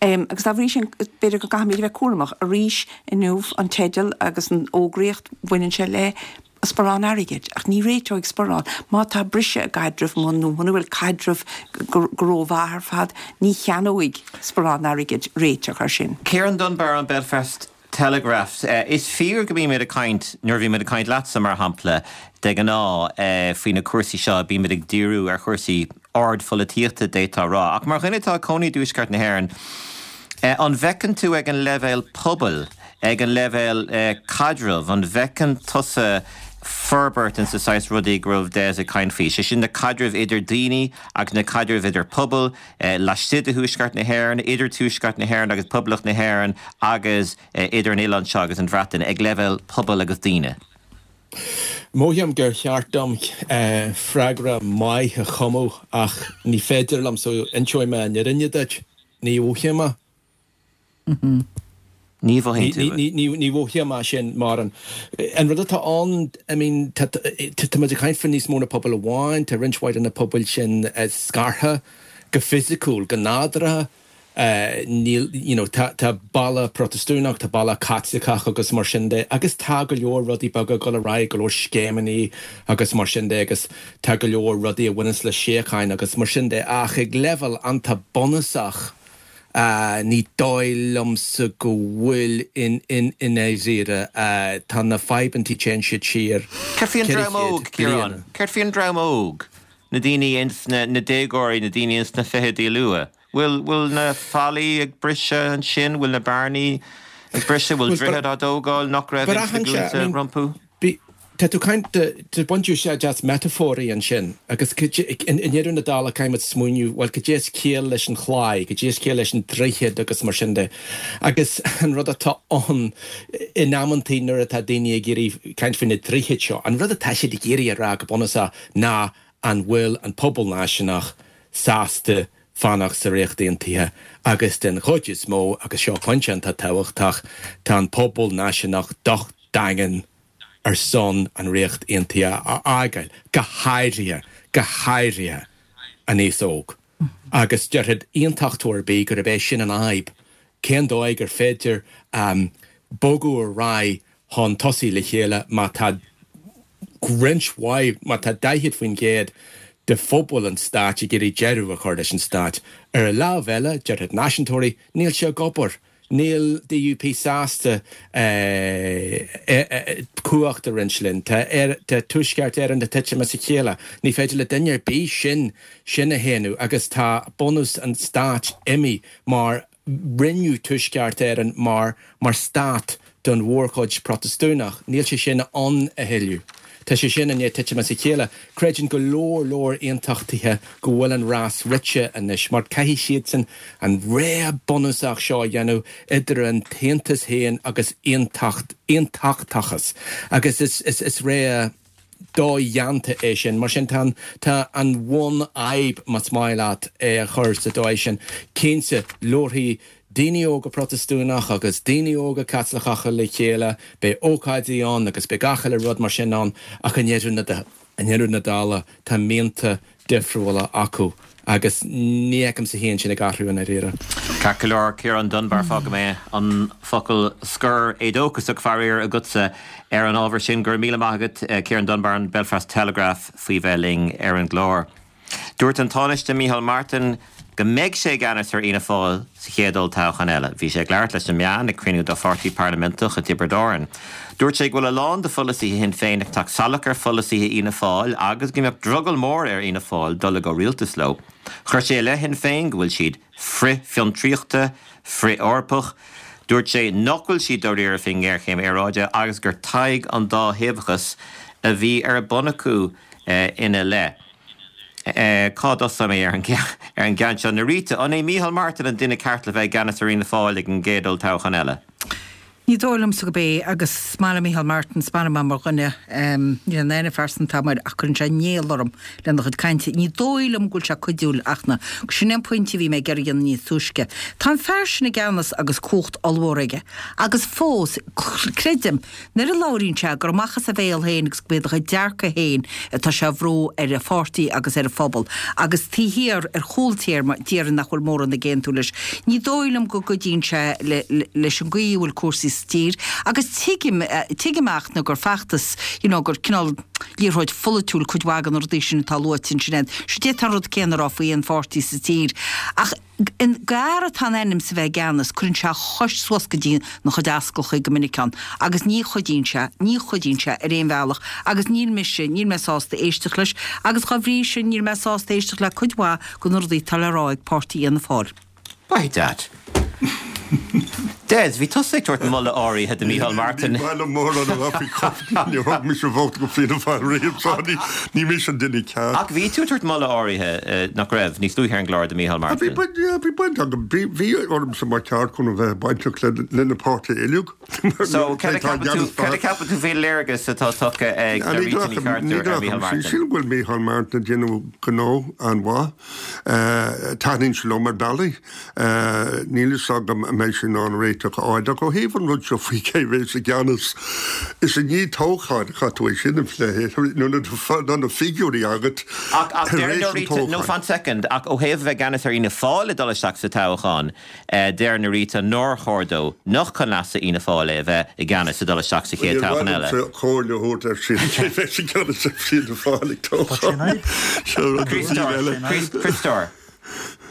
Agus dá bhrí sin b'fhéidir go gcaithfimid a bheith cúramach. Arís inniu an teideal agus an fhógraíocht baineann sé le sparán airgid, ach ní réiteoidh sparán. Má tá briseadh i gcaidreamh nó muna bhfuil caidreamh go rómhaith ar fad, ní cheannóidh sparán airgid réiteach air sin. Ciarán Dunbar an Belfast Telegraph. Is fíor go mbímid ag caint, nuair a bhímid ag caint leatsa mar shampla, de ghnáth faoi na cúrsaí seo, bímid ag díriú ar chúrsaí ardpholaitíochta d'fhéadfá a rá. Ach mar dhuine atá ag cónaí i dTuaisceart na hÉireann, an bhfeiceann tú ag an leibhéal pobail, ag an leibhéal caidrimh, an bhfeiceann tusa forbairt in sa saghas rudaí go raibh Des ag caint faoi, sé sin na caidrimh idir daoine agus na caidrimh idir pobail laistigh de Thuaisceart na hÉireann, idir Tuaisceart na hÉireann agus Poblacht na hÉireann agus idir an oileán seo agus an Bhreatain, ag leibhéal pobail agus daoine? Mothaím gur cheart dom freagra maith a chumadh ach ní féidir liom so inseoidh mé an fhírinne duit, ní mhothaím é. Ní mhothaíonn tú é. Ní mhothaím é sin mar an an rud atá ann, I mean, tá tá muid ag caint faoi níos mó ná pobal amháin, tá roinnt mhaith de na pobail sin scartha go fisiciúil, go nádúrtha. Níl, you know, tá tá balla Protastúnach, tá balla Caitliceach agus mar sin de agus tá go leor rudaí beaga ag dul ar aghaidh, go leor scéimeanna agus mar sin de agus tá go leor rudaí a bhaineanns le síocháin agus mar sin de ach ag leibhéal iontach bunúsach ní dóigh liomsa go bhfuil in in i ndáiríre. Tá na fadhbanna téann siad siar Céard faoi an ceithre dream chéad óg, Ciarán? bliain. Céard faoi an dream óg? Na daoine ins na, na déagóirí, na daoine ins na fichidí luath. Bhfuil, bhfuil na fallaí ag briseadh ansin? Bhfuil na bearnaí ag briseadh? Bhfuil Bhuel, droichid á dtógáil nach raibh ins na braitheann sé, I glúnta mean, rompu? bí, tá tú caint, tá baint úsáid as meatafóirí ansin agus i ndeireadh na dála caithfidh muid smaoineamh, bhuel, cad é is ciall leis an chlaí, cad é is ciall leis an droichead agus mar sin de. Agus an rud atá ann in amantaí nuair atá daoine ag iarraidh caint faoi na droichid seo, an rud atá siad ag iarraidh a rá go bunúsach ná an bhfuil an pobal náisiúnach sásta fanacht sa Ríocht Aontaithe agus den chuid is mó, agus seo pointe iontach tábhachtach, tá an pobal náisiúnach docht daingean ar son an Ríocht Aontaithe a fhágáil, go háirithe, go háirithe an aos óg. Agus déarfadh aontachtóir ar bith gurb é sin an fhadhb, cén dóigh gur féidir bogadh ar aghaidh chun tosaigh le chéile má tá roinnt mhaith, má tá daichead faoin gcéad de phobal an stáit ag iarraidh deireadh a chur leis an stát. Ar an lámh eile, déarfadh náisiúntóirí, níl sé ag obair, Níl D U P sásta cumhacht a roinnt linn. Tá Tuaisceart Éireann ag titim as a chéile. Ní féidir le duine ar bith sin sin a shéanadh agus tá bunús an stáit imithe mar rinneadh Tuaisceart Éireann mar mar stát don mhórchuid Protastúnach. Níl sé sin ann a thuilleadh. Tá sé sin i ndiaidh titim as a chéile. Creideann go leor leor aontachtaithe go bhfuil an rás rite anois, mar caithfidh siadsan an rogha bunúsach seo a dhéanamh idir an tAontas féin agus aontacht aontachtachas. Agus is is is rogha dodhéanta é sin. Mar sin tá tá an bhunfhadhb, más maith leat é a chur sa dóigh sin. Cinnte, labharfaidh daoine óga Protastúnach agus daoine óga Caitliceacha le chéile, beidh ócáidí ann agus beidh gach uile rud mar sin ann, ach i ndeireadh na i ndeireadh na dála tá mianta difriúla acu agus ní fheicimse féin sin ag athrú i ndáiríre. Ceart go leor, Ciarán Dunbar, fágfaidh mé an focal scoir éadóchasach faraor agatsa ar an ábhar sin. Go raibh míle maith agat, Ciarán Dunbar, an Belfast Telegraph, faoi bheith linn ar an gclár. Dúirt an Tánaiste Micheál Martin go mbeidh sé i gceannas ar Fhianna Fáil sa chéad olltoghchán eile. Bhí sé ag labhairt leis na meáin ag cruinniú dá pháirtí parlaiminteach i dTiobraid Árann. Dúirt sé go bhfuil a lán de pholasaithe Shinn Féin ag teacht salach ar pholasaithe Fhianna Fáil agus go mbeadh drogall mór ar Fhianna Fáil dul i gcomhrialtas leo. Chuir sé i leith Shinn Féin go bhfuil siad frith-fhiontraíochta, frith-Eorpach. Dúirt sé nach bhfuil siad dáiríre faoin ngéarchéim aeráide agus gur tadhg an dá thaobhachas a bhí ar bun acu ina leith. Cá dtosóidh mé ar an ar an gceann seo? Norita, an é Micheál Martin an duine ceart le bheith i gceannas ar Fhianna Fáil ag an gcéad olltoghchán eile? Ní dóigh liomsa gurb é, agus is maith liom Micheál Martin, is maith liom é mar dhuine, níl aon aithne phearsanta agam air ach cuireann sé néal orm lena chuid cainte. Ní dóigh liom go bhfuil sé cuidiúil ach na, sin é an pointe a bhí mé ag iarraidh a dhéanamh níos túisce. Tá an fear sin i gceannas agus cumhacht ollmhór aige agus fós, creidim, Nuair a labhraíonn sé, gur amach as a bhéal féin agus go mb'iad a chuid dearcadh féin atá sé a bhrú ar a pháirtí agus ar a phobal, agus taobh thiar, ar chúl téarma, déarfainn nach bhfuil mórán ag aontú leis. Ní dóigh liom go gcuidíonn sé leis an gcaoi a bhfuil cúrsaí sa tír, agus tuigim, tuigim ach ná gur feachtas, you know, gur cineál liathróid pholaitiúil cuid mhaith de na rudaí sin atá luaite ansin. Sure d'fhéadfá an rud céanna a rá faoi aon pháirtí sa tír. Ach an fear atá in ainm is a bheith i gceannas, cuireann sé a chois suas go dtí na chuid ascallachaí go minic ann agus ní chuidíonn sé, ní chuidíonn sé ar aon bhealach agus níl mise, níl mé sásta éisteacht leis agus dhá bhrí sin níl mé sásta éisteacht le cuid mhaith de na rudaí atá le rá ag Páirtí Fhianna Fáil. By dad. Des, bhí tusa ag tabhairt moladh áirithe do Micheál Martin. Ní maith liom mórán a rá faoi níor thug mise vóta go Fianna Fáil riamh, so ní mise an duine ceart. Ach bhí tú ag tabhairt moladh áirithe, nach raibh, níos luaithe ar an gclár do Micheál Martin? Bhí baint agam, bhí ormsa mar ceart chun a bheith bainteach le na páirtithe uilig. So cad a cheapann tú faoin léargas atá tugtha ag Rita Ní Chartúir ar Micheál Martin? Sílim go bhfuil Micheál Martin ag déanamh gnó an-mhaith. Taitníonn sé liom ar bealaí. Níl fhios agam an mbeidh sé in ann réiteach a fháil ach ó thaobh an rud seo faoi cé bheas i gceannas, is i ndiaidh toghcháin a chaithfidh tú é sin a phlé, nuair atá na figiúirí agat Ach ach tar deir éis an Norita, no toghcháin. fan soicind, ach ó thaobh a bheith i gceannas ar Fhianna Fáil ag dul isteach sa toghchán, deir Norita nár chóir dó, nach chun leasa Fhianna Fáil é a bheith i gceannas ag dul isteach sa chéad Níor mhaith toghchán eile. liomsa comhairle a thabhairt air sin, cé bheas i gceannas ar Fianna Fáil ag toghchán. Seo rud a bhí eile. Críostóir.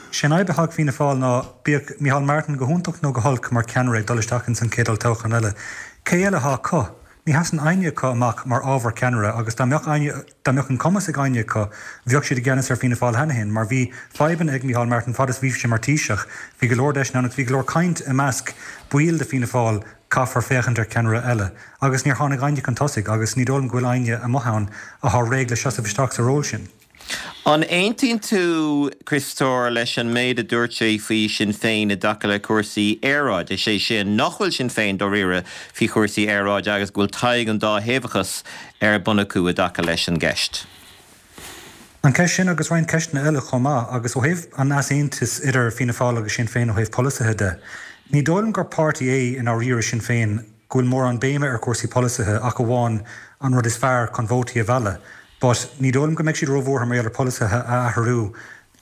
Sé an fhadhb atá ag Fianna Fáil ná, bíodh Micheál Martin go hiontach nó go holc mar cheannaire ag dul isteach ins an chéad olltoghchán eile, cé eile atá acu? Ní sheasann éinne acu amach mar ábhar ceannaire agus dá mbeadh éinne, dá mbeadh an cumas ag éinne acu, bheadh siad i gceannas ar Fianna Fáil cheana féin mar bhí fadhbanna ag Micheál Martin fad is bhí sé mar Taoiseach. Bhí go leor deiseanna ann agus bhí go leor caint i measc baill de Fianna Fáil caithfear féachaint ar cheannaire eile agus níor tháinig éinne chun tosaigh agus ní dóigh liom go bhfuil éinne amuigh ann atá réidh le seasamh isteach sa ról sin. An aontaíonn tú, Críostóir, leis an méid a dúirt sé faoi Sinn Féin i dtaca le cúrsaí aeráide, is é sin nach bhfuil Sinn Féin dáiríre faoi chúrsaí aeráide agus go bhfuil tadhg an dá thaobhachas ar bun acu i dtaca leis an gceist? An ceist sin agus roinnt ceisteanna eile chomh maith, agus ó thaobh an easaontais idir Fianna Fáil agus Sinn Féin ó thaobh polasaithe de, ní dóigh liom gur páirtí é i ndáiríre Sinn Féin go bhfuil mórán béime ar chúrsaí polasaithe ach amháin an rud is fearr chun vótaí a mhealladh. But ní dóigh liom go mbeidh siad róbhuartha mar gheall ar pholasaithe a athrú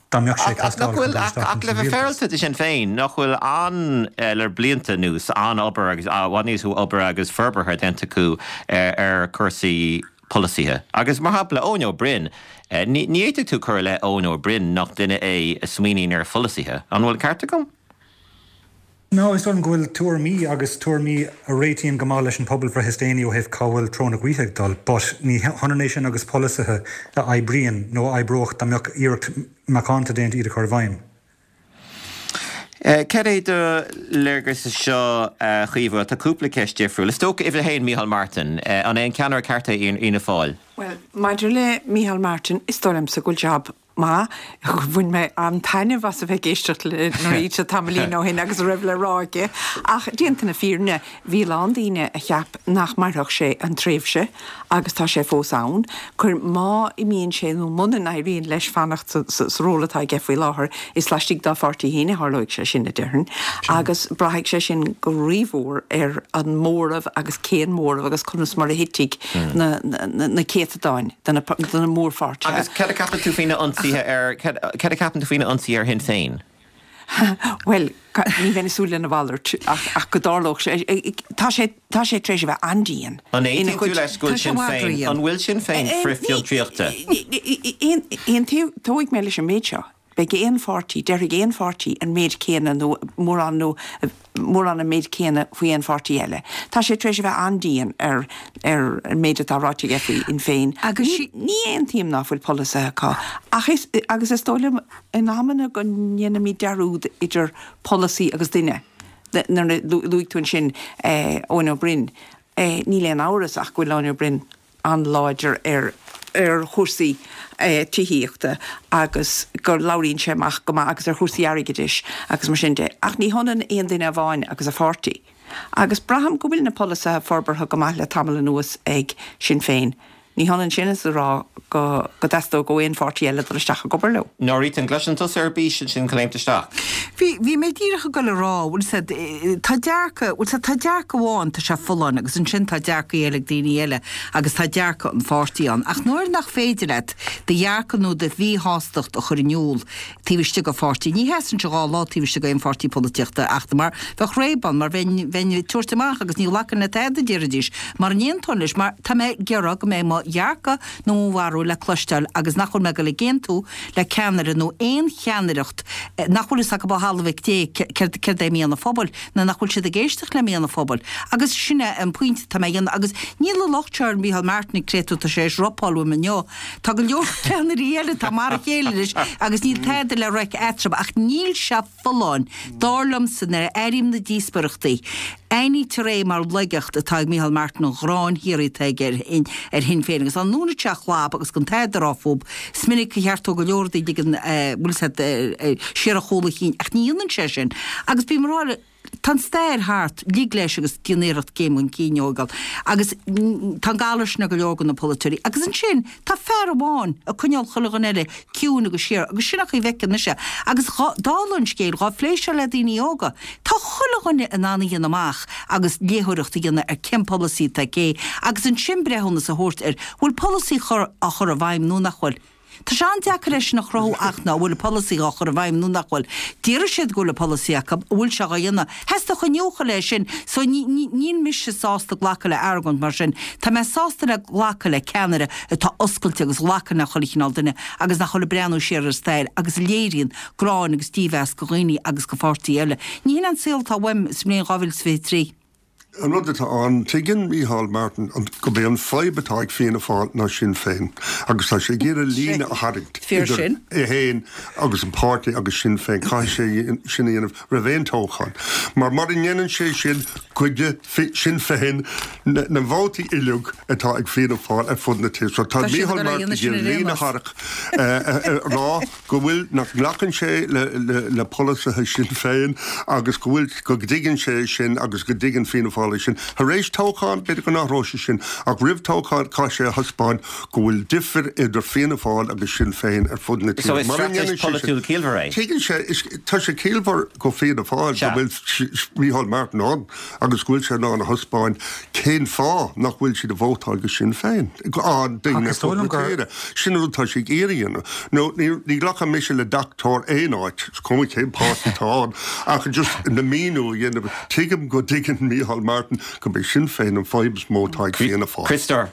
dá mbeadh sé ag Ach nach teastáil chun bhfuil dul ach isteach ach le ins an bheith rialtas. féaráilte de Sinn Féin, nach bhfuil an le blianta anuas an-obair agus i bhfad níos mó obair agus forbartha déanta acu ar ar chúrsaí polasaithe. Agus mar shampla Eoin Ó Broin, ní ní fhéadfadh tú cur i leith Eoin Ó Broin nach duine é a smaoiníonn ar pholasaithe. An bhfuil ceart agam? No, is dóigh liom go bhfuil tuairimí agus tuairimí a réitíonn go maith leis an pobalbhreith is déanaí ó thaobh cá bhfuil treo na gaoithe ag dul, but ní hionann é sin agus polasaithe a oibríonn nó a oibreodh dá mbeadh iarracht macánta déanta iad a chur i bhfeidhm. Cad é do léargas seo, a Chaoimhe? Tá cúpla ceist difriúil. Is dócha, uimhir a haon, Micheál Martin. An é an ceannaire ceart é Fhianna Fáil? Bhuel, maidir le Micheál Martin, is dóigh liomsa go bhfuil jab maith. Bhain mé an-taitneamh as a bheith ag éisteacht le Norita tamaillín ó shin agus a raibh le rá aici. Ach déanta na fírinne, bhí a lán daoine a cheap nach mairfeadh sé an tréimhse agus tá sé fós ann. Cuir, má imíonn sé nó muna n-éiríonn leis fanacht sa ról atá aige faoi láthair, is laistigh dá pháirtí féin a tharlóidh sé sin, a déarfainn. Agus braithfidh sé sin go rímhór ar an móramh agus cén móramh agus conas mar a thitfidh na na céatadáin de na de na mórpháirtithe. Agus cad a ceapann tú faoina ionsaithe ar, cad a ceapann tú faoina ionsaithe ar Shinn Féin? Bhuel, ní bheinn ag súil lena mhalairt ach go dtarlódh sé. Tá sé tá sé tar éis a bheith an-dian An aontaíonn tú leis go bhfuil Sinn Féin, an bhfuil Sinn Féin frith-fhiontraíochta? Aontóidh mé leis an méid seo. Beidh aon pháirtí, déarfaidh aon pháirtí an méid céanna nó mórán nó mórán an méid céanna faoi aon pháirtí eile. Tá sé tar éis a bheith an-dian ar ar an méid atá ráite aige faoi Shinn Féin. Agus ní ní aontaím ná fuil polasaithe acu ach is agus is dóigh liom in amanna go ndéanaimid dearúd idir polasaí agus duine. Nuair a luaigh tú ansin Eoin Ó Broin, níl aon amhras ach go bhfuil Eoin Ó Broin an-láidir ar ar chúrsaí tithíochta agus go labhraíonn sé amach go maith agus ar chúrsaí airgeadais agus mar sin de. Ach ní hionann aon duine amháin agus a pháirtí. Agus braithim go bhfuil na polasaithe forbartha go maith le tamall anuas ag Sinn Féin. Ní hionann sin is a rá go go dteastódh ó aon pháirtí eile dul isteach ag obair leo. Norita, an gcloiseann tusa ar bís ansin claimht isteach? Bhí, bhí mé díreach ag dul a rá, bhfuil 's a'd, tá dearcadh, bhfuil 's a'd, tá dearcadh amháin, tá sé folláin agus ansin tá dearcaí eile ag daoine eile agus tá dearcadh an pháirtí ann. Ach nuair nach féidir leat do dhearcadh nó do mhíshástacht a chur in iúl taobh istigh de pháirtí, ní sheasann sé dhá lá taobh istigh d'aon pháirtí polaitíochta ach mar bheadh réab ann, mar bheinn, bheinn ag tabhairt amach agus ní ghlacfainn le tada a déarfaidís, mara n-aontóinn leis, mar tá mé ag iarraidh go mbeidh mo dhearcadh nó mo bharúil le cloisteáil agus nach bhfuil mé ag dul ag aontú le ceannaire nó aon cheannaireacht nach bhfuil fhios acu ó thalamh mhic Dé céard céard é mian an phobail nó nach bhfuil siad ag éisteacht le mian an phobail. Agus sin é an pointe atá mé a dhéanamh. Agus níl an locht seo ar Mhícheál Martin ag créatúr tá sé tar éis ropáil uaim inniu. Tá go leor ceannairí eile atá mar a chéile leis agus níl tada le reic eatarthu ach níl sé folláin, dar liomsa, nuair a airím na díospóireachtaí. Aithnítear é mar laigeacht atá ag Micheál Martin an ghráin shíoraí atá aige ar Shinn Féin agus dá ndúnfadh sé a chlab agus gan tada a rá fúb, is minic a cheartódh go leor daoine ag an, bhfuil 'fhios a'd, siar a chúl a chinn ach ní dhéanann sé sin. Agus bím ag rá, tá an stair thart, lig leis agus déan iarracht céim chun cinn a thógáil. Agus tá an galar sin ar go leor de na polaiteoirí. Agus ansin, tá fear amháin ag coinneáil chuile dhuine eile ciúin agus siar, agus sin an chaoi a bhfeicim mise. Agus dála an scéil, dhá phléigh seo le daoine óga, tá chuile dhuine in ann a dhéanamh amach agus léitheoireacht a dhéanamh ar cén polasaí atá ag cé, agus ansin breithiúnas a thabhairt ar bhfuil polasaí á chur i bhfeidhm nó nach bhfuil. Tá sé an-deacair é sin a chruthú ach ná an bhfuil an polasaí dhá chur i bhfeidhm nó nach bhfuil. Déarfaidh siad go bhfuil an polasaí acu, an bhfuil sé dhá dhéanamh? Theastódh iniúchadh le sin. So ní, ní, níl mise sásta glacadh le argóint mar sin. Tá mé sásta le glacadh le ceannaire atá oscailte agus a ghlacann le chuile chineál duine agus nach bhfuil ag breathnú siar ar an stair agus a léiríonn gráin agus dímheas go dhaoine agus go pháirtí eile. Ní hin an saol atá uaim sa mbliain dhá mhíle is fiche trí. An rud atá ann, tuigeann Micheál Martin gurb é an fadhb atá ag Fianna Fáil ná Sinn Féin agus tá sé ag iarraidh líne a tharraingt idir é féin agus an páirtí agus Sinn Féin. Caithfidh sé sin a dhéanamh roimh aon toghchán mar mura ndéanann sé sin goidfidh Sinn Féin na vótaí uilig atá ag Fianna Fáil ar fud na tíre. So tá Micheál Martin ag iarraidh líne a tharrac a rá go bhfuil, nach nglacann sé le polasaithe Sinn Féin agus go bhfuil, go dtuigeann sé sin agus go dtuigeann Fianna Fáil é sin. Tar éis toghcháin, b'fhéidir go n-athróidh sé sin, ach roimh toghchán caithfidh sé a thaispeáint go bhfuil difir idir Fianna Fáil agus Sinn Féin ar fud na So tíre. is Mura straitéis ndéanann sé sin, pholaitiúil ciallmhar é. tuigeann sé, is, tá sé ciallmhar go Fianna Fáil go Sea. bhfuil Micheál Martin ann agus go bhfuil sé in ann a thaispeáint cén fáth nach bhfuil siad ag vótáil go Sinn Féin, á, Ach daoine ar is dóigh fud liom na gur. tíre. Sin an rud atá sé ag iarraidh a dhéanamh. Nó ní, ní ghlacfaidh mise le deachtóir aon áit, is cuma cén páirtí atá ann, ach just na míniú a dhéanamh. Tuigim go dtuigeann Micheál Martin gurb é Sinn Féin an fadhb is mó atá ag Fianna Fáil. Criostóir.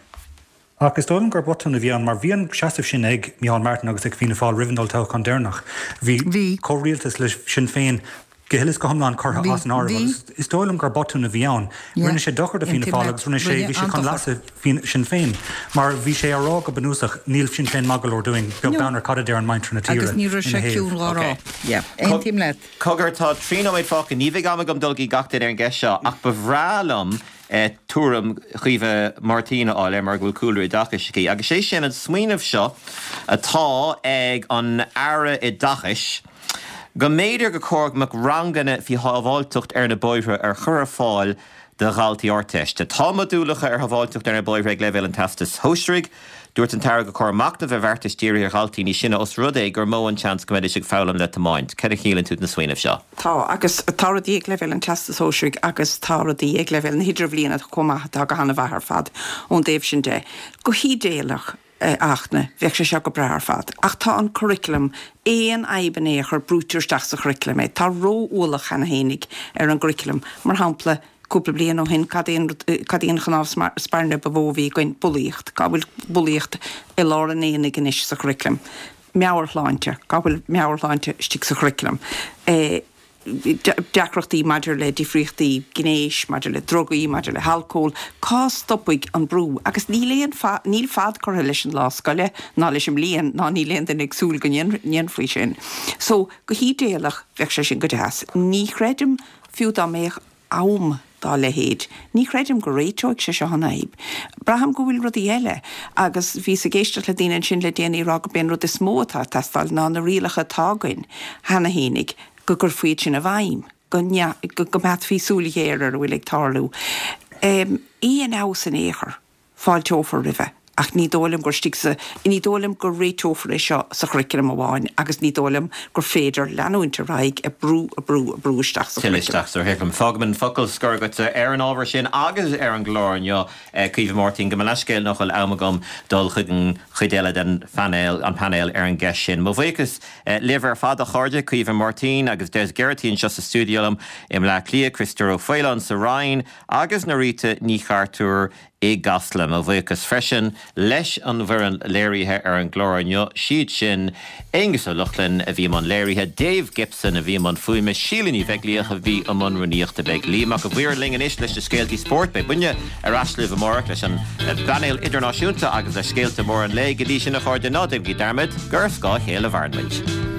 Ach is dóigh liom gur botún a bhí ann mar bhí an seasamh sin ag Micheál Martin agus ag Fianna Fáil roimh an olltoghchán deireanach. Bhí Bhí. comhrialtas le Sinn Féin go huile is go hiomlán curtha as an áireamh agus is dóigh liom gur botún a bhí ann. Rinne sé dochar do Fianna Fáil agus rinne sé, bhí sé chun leasa Sinn Féin mar bhí sé á rá go bunúsach níl Sinn Féin maith go leor dúinn, beag beann ar cad a deir an muintir na tíre Agus ní raibh sé ciúin dhá rá. Aontaím leat. Cogar, tá trí nóiméad fágtha, ní bheidh am agam dul go dtí gach duine ar an gceist seo ach ba bhreá liom tuairim Chaoimhe Máirtín a fháil air mar go bhfuil cúlra oideachais aici. Agus sé sin an smaoineamh seo atá ag an Aire Oideachais, Go mb'fhéidir gur chóir go mbeadh ranganna faoi shábháilteacht ar na bóithre ar chur ar fáil do dhaltaí Ardteiste. Tá modúlacha ar shábháilteacht ar na bóithre ag leibhéal an Teastais Shóisearaigh. Dúirt an tAire gur chóir machnamh ar bheartais dírithe ar dhaltaí níos sine os rud é gur mó an seans go mbeidís ag foghlaim le tiomáint. Cad a shíleann tú den smaoineamh seo? Tá, agus tá rudaí ag leibhéal an Teastais Shóisearaigh agus tá rudaí ag leibhéal na hIdirbhliana chomh maith atá go han-mhaith ar fad ón dtaobh sin de. Go hídéalach, Fhachtna, bheadh sé seo go breá ar fad. Ach tá an curriculum, aon fhadhb in aon chor, brúitear isteach sa churriculum é. Tá ró-ualach cheana fhéinig ar an gcurriculum. Mar shampla, cúpla bliain ó shin, cad é an rud, cad í an chnámh spairne ba mhó a bhí againn? Bulaíocht. Cá bhfuil bulaíocht i lár an aonaigh anois sa churriculum? Meabhairshláinte. Cá bhfuil meabhairshláinte istigh sa churriculum? deacrachtaí maidir le difríochtaí gnéis, maidir le drugaí, maidir le halcól, cá stopfaidh an brú? Agus níl aon, níl fad curtha leis an lá scoile ná leis an mbliain ná níl aon duine ag súil go ndéanfaí sin. So, go hídéalach, bheadh sé sin go deas. Ní chreidim, fiú dá mbeadh am dá leithéid, ní chreidim go réiteoidh sé seo an fhadhb. Braithim go bhfuil rudaí eile, agus bhíos ag éisteacht le daoine ansin le déanaí ag rá gurb é an rud is mó atá ag teastáil ná na rialacha atá againn cheana fhéinig, go gcuirfí iad sin i bhfeidhm, go go mbeadh súil ghéar ar a bhfuil ag tarlú. Aon fheabhas in aon chor, fáilteofar roimhe, ach ní dóigh liom gur istigh sa, ní dóigh liom go réiteofar é seo sa churriculum amháin agus ní dóigh liom gur féidir leanúint ar aghaidh ag brú, ag brú, ag brú isteach sa churriculum. Isteach sa churriculum. Fágaim an focal scoir agatsa ar an ábhar sin agus ar an gclár inniu, Caoimhe Máirtín. Gabh mo leithscéal nach bhfuil am agam dul chuig an chuid eile den phainéal, an painéal ar an gceist sin. Mo bhuíochas libh ar fad, a chairde, Caoimhe Máirtín agus Des Geraghty anseo sa stiúideo liom i mBleá Cliath, Criostóir Ó Faoláin sa Rinn agus Norita Ní Chartúir i gCasla. Mo bhuíochas freisin leis an bhfoireann léirithe ar an gclár inniu, siad sin, Aonghus Ó Lochlainn a bhí i mbun léirithe, Dave Gibson a bhí i mbun fuaime, Síle Ní Bheaglaoich a bhí i mbun rúnaíochta. Beidh Liam Mac a' Mhaoir linn anois leis na scéaltaí spóirt. Beidh muidne ar ais libh amárach leis an bpainéal idirnáisiúnta agus le scéalta móra an lae. Go dtí sin, a chairde, ná déanaigí dearmad gur ar scáth a chéile a mhaireann muid.